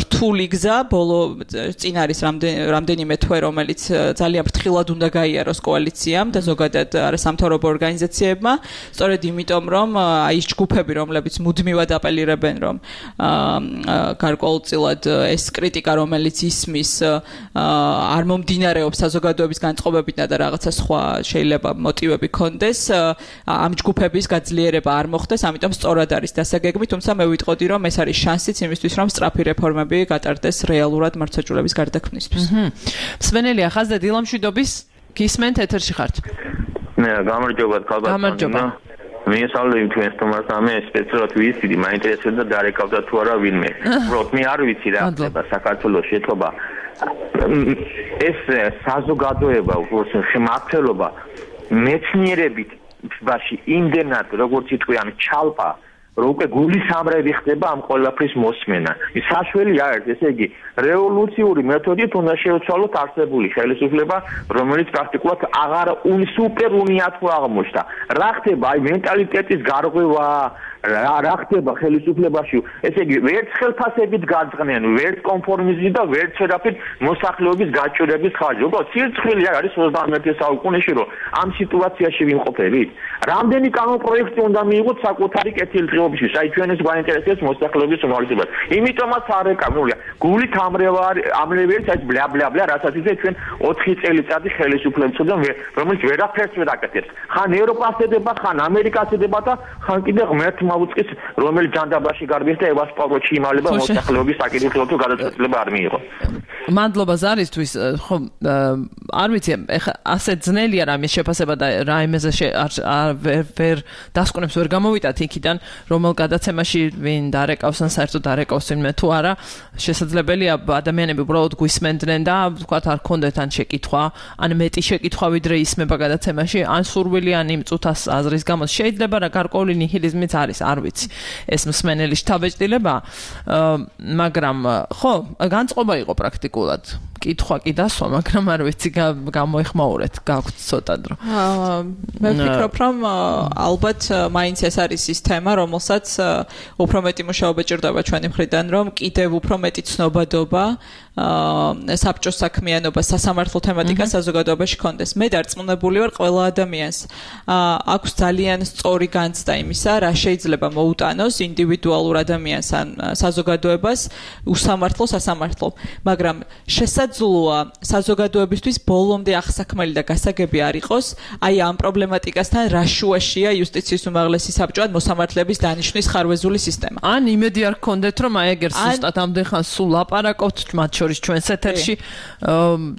S5: რთული გზა, ბოლო წინ არის რამდენიმე თვე, რომელიც ძალიან ფრთხილად უნდა გაიაროს კოალიციამ და ზოგადად არასამთავრობო ორგანიზაციებმა, სწორედ იმიტომ, რომ აი ეს ჯგუფები, რომლებიც მუდმივად აპელირებენ, რომ გარკვეულწილად ეს კრიტიკა, რომელიც ისმის, არ მომდინარეობს საზოგადოების განწყობებიდან და რაღაცა სხვა შეიძლება მოტივები ქონდეს, ამ ჯგუფების გაძლიერება არ მოხდეს, ამიტომ სწორად არის დასაგეგმი, თუმცა მე ვიტყოდი, რომ ეს არის შანსიც იმისთვის, რომ სწრაფი რეფორმები გატარდეს რეალურად მართლმსაჯულების გარდაქმნისთვის.
S4: მსმენელია ხაზზე დილამშვიდობის გისმენთ ეთერში ხართ.
S7: მე გამარჯობა ხალბატონო.
S4: გამარჯობა.
S7: მიესალმები თქვენ სტუმარს ამე სპეციალურად ვიცი, მაინტერესებდა დარეკავდა თუ არა ვინმე. უბრალოდ მე არ ვიცი რა ხდება საქართველოს შეთობა. ეს საზოგადოება, უბრალოდ შემართლობა მეცნიერებით ბაში იმდენად როგორც იტყვიან ჩალპა რომ უკვე გულის ამრევი ხდება ამ ყველაფრის მოსმენა. ის საშველი არ არის, ესე იგი რევოლუციური მეთოდით უნდა შეუცვალოთ არსებული ხელისუფლება, რომელიც პრაქტიკულად აღარ სუპერ უნიათო აღმოჩნდა. რა ხდება აი მენტალიტეტის გარღვევა, რა რა ხდება ხელისუფლებაში, ესე იგი ვერც ხელფასებით გაძღნენ, ვერც კონფორმიზმით და ვერც თერაპით მოსახლეობის გაჭირების ხარჯი. უბრალოდ სირცხვილი არ არის ოცდამეერთე საუკუნეში, რომ ამ სიტუაციაში ვიმყოფებით. რამდენი კანონპროექტი უნდა მიიღოთ საკუთარი კეთილდღეობისთვის, აი ჩვენს გვაინტერესებს მოსახლეობის უმრავლესობას. იმიტომაც არ ეკამულია. გულით ამრევარი ამრევი არის აი ბლა ბლა ბლა, რასაც ისე ჩვენ ოთხი წელიწადი ხელისუფლებს ვწოდან, რომელიც ვერაფერს ვერ აკეთებს. ხან ევროპას ედება, ხან ამერიკას ედება და ხან კიდე ღმერთმა უწყის რომელი ჯანდაბაში გარბის და ევასპაროჩი იმალება მოსახლეობის საკითხილო გადაწყვეტილება არ მიიღო.
S4: მადლობა ზარისთვის, ხო არ ვიცი, ეხა ასე ძნელია რამის შეფასება და რა იმეზე ვერ დასკვნებს ვერ გამოვიტათ იქიდან, რომელ გადაცემაში ვინ დარეკავს ან საერთოდ დარეკავს ვინმე თუ არა, შესაძლებელია ადამიანები უბრალოდ გვისმენდნენ და ვთქვათ არ ქონდეთ ან შეკითხვა, ან მეტი შეკითხვა ვიდრე ისმება გადაცემაში, ან სურვილი ან იმ წუთას აზრის გამო შეიძლება რა გარკვეული ნიჰილიზმიც არის, არ ვიცი. ეს მსმენელი შთაბეჭდილება, მაგრამ ხო, განწყობა იყო პრაქტიკულად. კითხვა კი დასვა, მაგრამ არ ვიცი გამოეხმაურეთ, გაქვთ ცოტა დრო.
S5: მე ვფიქრობ, რომ ალბათ მაინც ეს არის ის თემა, რომელსაც უფრო მეტი მუშაობა ჭირდება ჩვენი მხრიდან, რომ კიდევ უფრო მეტი ცნობადობა საბჭოს საქმიანობა, სასამართლო თემატიკა საზოგადოებაში კონდეს. მე დარწმუნებული ვარ, ყველა ადამიანს აქვს ძალიან სწორი განცდა იმისა, რა შეიძლება მოუტანოს ინდივიდუალურ ადამიანს ან საზოგადოებას უსამართლო სასამართლო, მაგრამ შესაძლოა საზოგადოებისთვის ბოლომდე აღსაქმელი და გასაგები არ იყოს, აი ამ პრობლემატიკასთან რა შუაშია იუსტიციის უმაღლესი საბჭო ან მოსამართლეების დანიშვნის ხარვეზული სისტემა.
S4: ან იმედი არ გქონდეთ, რომ აი ეგერ ზუსტად ამდენ ხანს სულ ლაპარაკობთ მათ შორის ჩვენს ეთერში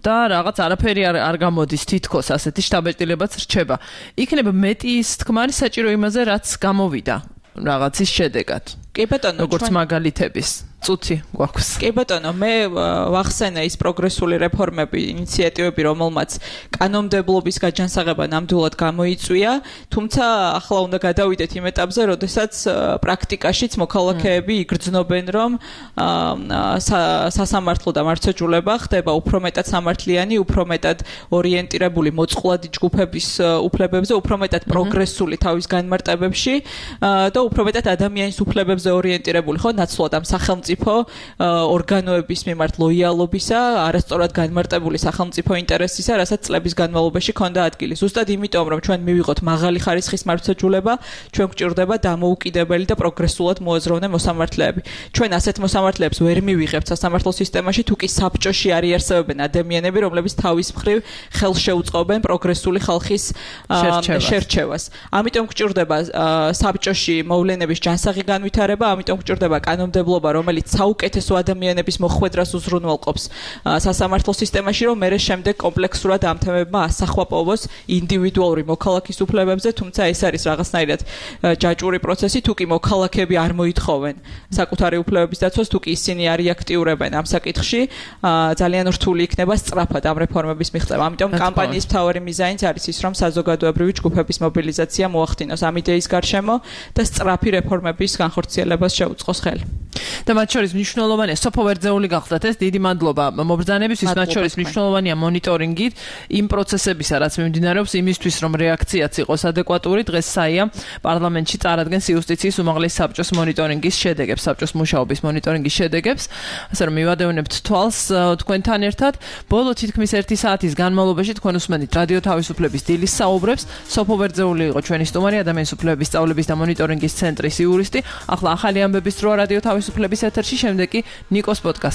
S4: და რაღაც არაფერი არ არ გამოდის თითქოს ასეთი შთაბეჭდილებაც რჩება. იქნება მეტი ის თქმარი საჭირო იმაზე, რაც გამოვიდა რაღაცის შედეგად.
S5: კი ბატონო,
S4: როგორც მაგალითების წუთი გვაქვს.
S5: კი ბატონო, მე ვახსენე ის პროგრესული რეფორმები, ინიციატივები, რომელმაც კანონმდებლობის გაჯანსაღება ნამდვილად გამოიწვია, თუმცა ახლა უნდა გადავიდეთ იმ ეტაპზე, როდესაც პრაქტიკაშიც მოქალაქეები იგრძნობენ, რომ სასამართლო და მართლმსაჯულება ხდება უფრო მეტად სამართლიანი, უფრო მეტად ორიენტირებული მოწყვლადი ჯგუფების უფლებებზე, უფრო მეტად პროგრესული თავის განმარტებებში და უფრო მეტად ადამიანის უფლებებზე ორიენტირებული, ხო, ნაცვლად ამ სახელმწიფო ორგანოების მიმართ ლოიალობისა, არასწორად განმარტებული სახელმწიფო ინტერესისა, რასაც წლების განმავლობაში ჰქონდა ადგილი. ზუსტად იმიტომ, რომ ჩვენ მივიღოთ მაღალი ხარისხის მართლმსაჯულება, ჩვენ გვჭირდება დამოუკიდებელი და პროგრესულად მოაზროვნე მოსამართლეები. ჩვენ ასეთ მოსამართლეებს ვერ მივიღებთ სასამართლო სისტემაში, თუ კი საბჭოში არ იარსებებენ ადამიანები, რომლებიც თავის მხრივ ხელს შეუწყობენ პროგრესული ხალხის შერჩევას. ამიტომ გვჭირდება საბჭოში მოვლენების ჯანსაღი განვითარება, ამიტომ გვჭირდება კანონმდებლობა, რომელიც საუკეთესო ადამიანების მოხვედრას უზრუნველყოფს სასამართლო სისტემაში, რომ მერე შემდეგ კომპლექსურად ამ თემებმა ასახვა პოვოს ინდივიდუალური მოქალაქის უფლებებზე, თუმცა ეს არის რაღაცნაირად ჯაჭვური პროცესი, თუ კი მოქალაქეები არ მოითხოვენ საკუთარი უფლებების დაცვას, თუ კი ისინი არ იაქტიურებენ ამ საკითხში, ძალიან რთული იქნება სწრაფად ამ რეფორმების მიღწევა. ამიტომ კამპანიის მთავარი მიზანიც არის ის, რომ საზოგადოებრივი ჯგუფების მობილიზაცია მოახდინოს ამ იდეის გარშემო და სწრაფი რეფორმების განხორციელებას შეუწყოს ხელი.
S4: და მათ შორის მნიშვნელოვანია სოფო ვერძეული გახდათ ეს დიდი მადლობა მობრძანებისთვის, მათ შორის მნიშვნელოვანია მონიტორინგი იმ პროცესებისა, რაც მიმდინარეობს იმისთვის, რომ რეაქციაც იყოს ადეკვატური. დღეს საია პარლამენტში წარადგენს იუსტიციის უმაღლესი საბჭოს მონიტორინგის შედეგებს, საბჭოს მუშაობის მონიტორინგის შედეგებს, ასე რომ მივადევნებთ თვალს თქვენთან ერთად. ბოლო თითქმის ერთი საათის განმავლობაში თქვენ უსმენთ რადიო თავისუფლების დილის საუბრებს. სოფო ვერძეული იყო ჩვენი სტუმარი, ადამიანის უფლებების სწავლების და მონიტორინგის ცენტრის იურისტი. ახლა ახალი ამბების დროა რადიო თავისუფლების ეთერში, შემდეგ კი ნიკოს პოდკასტი.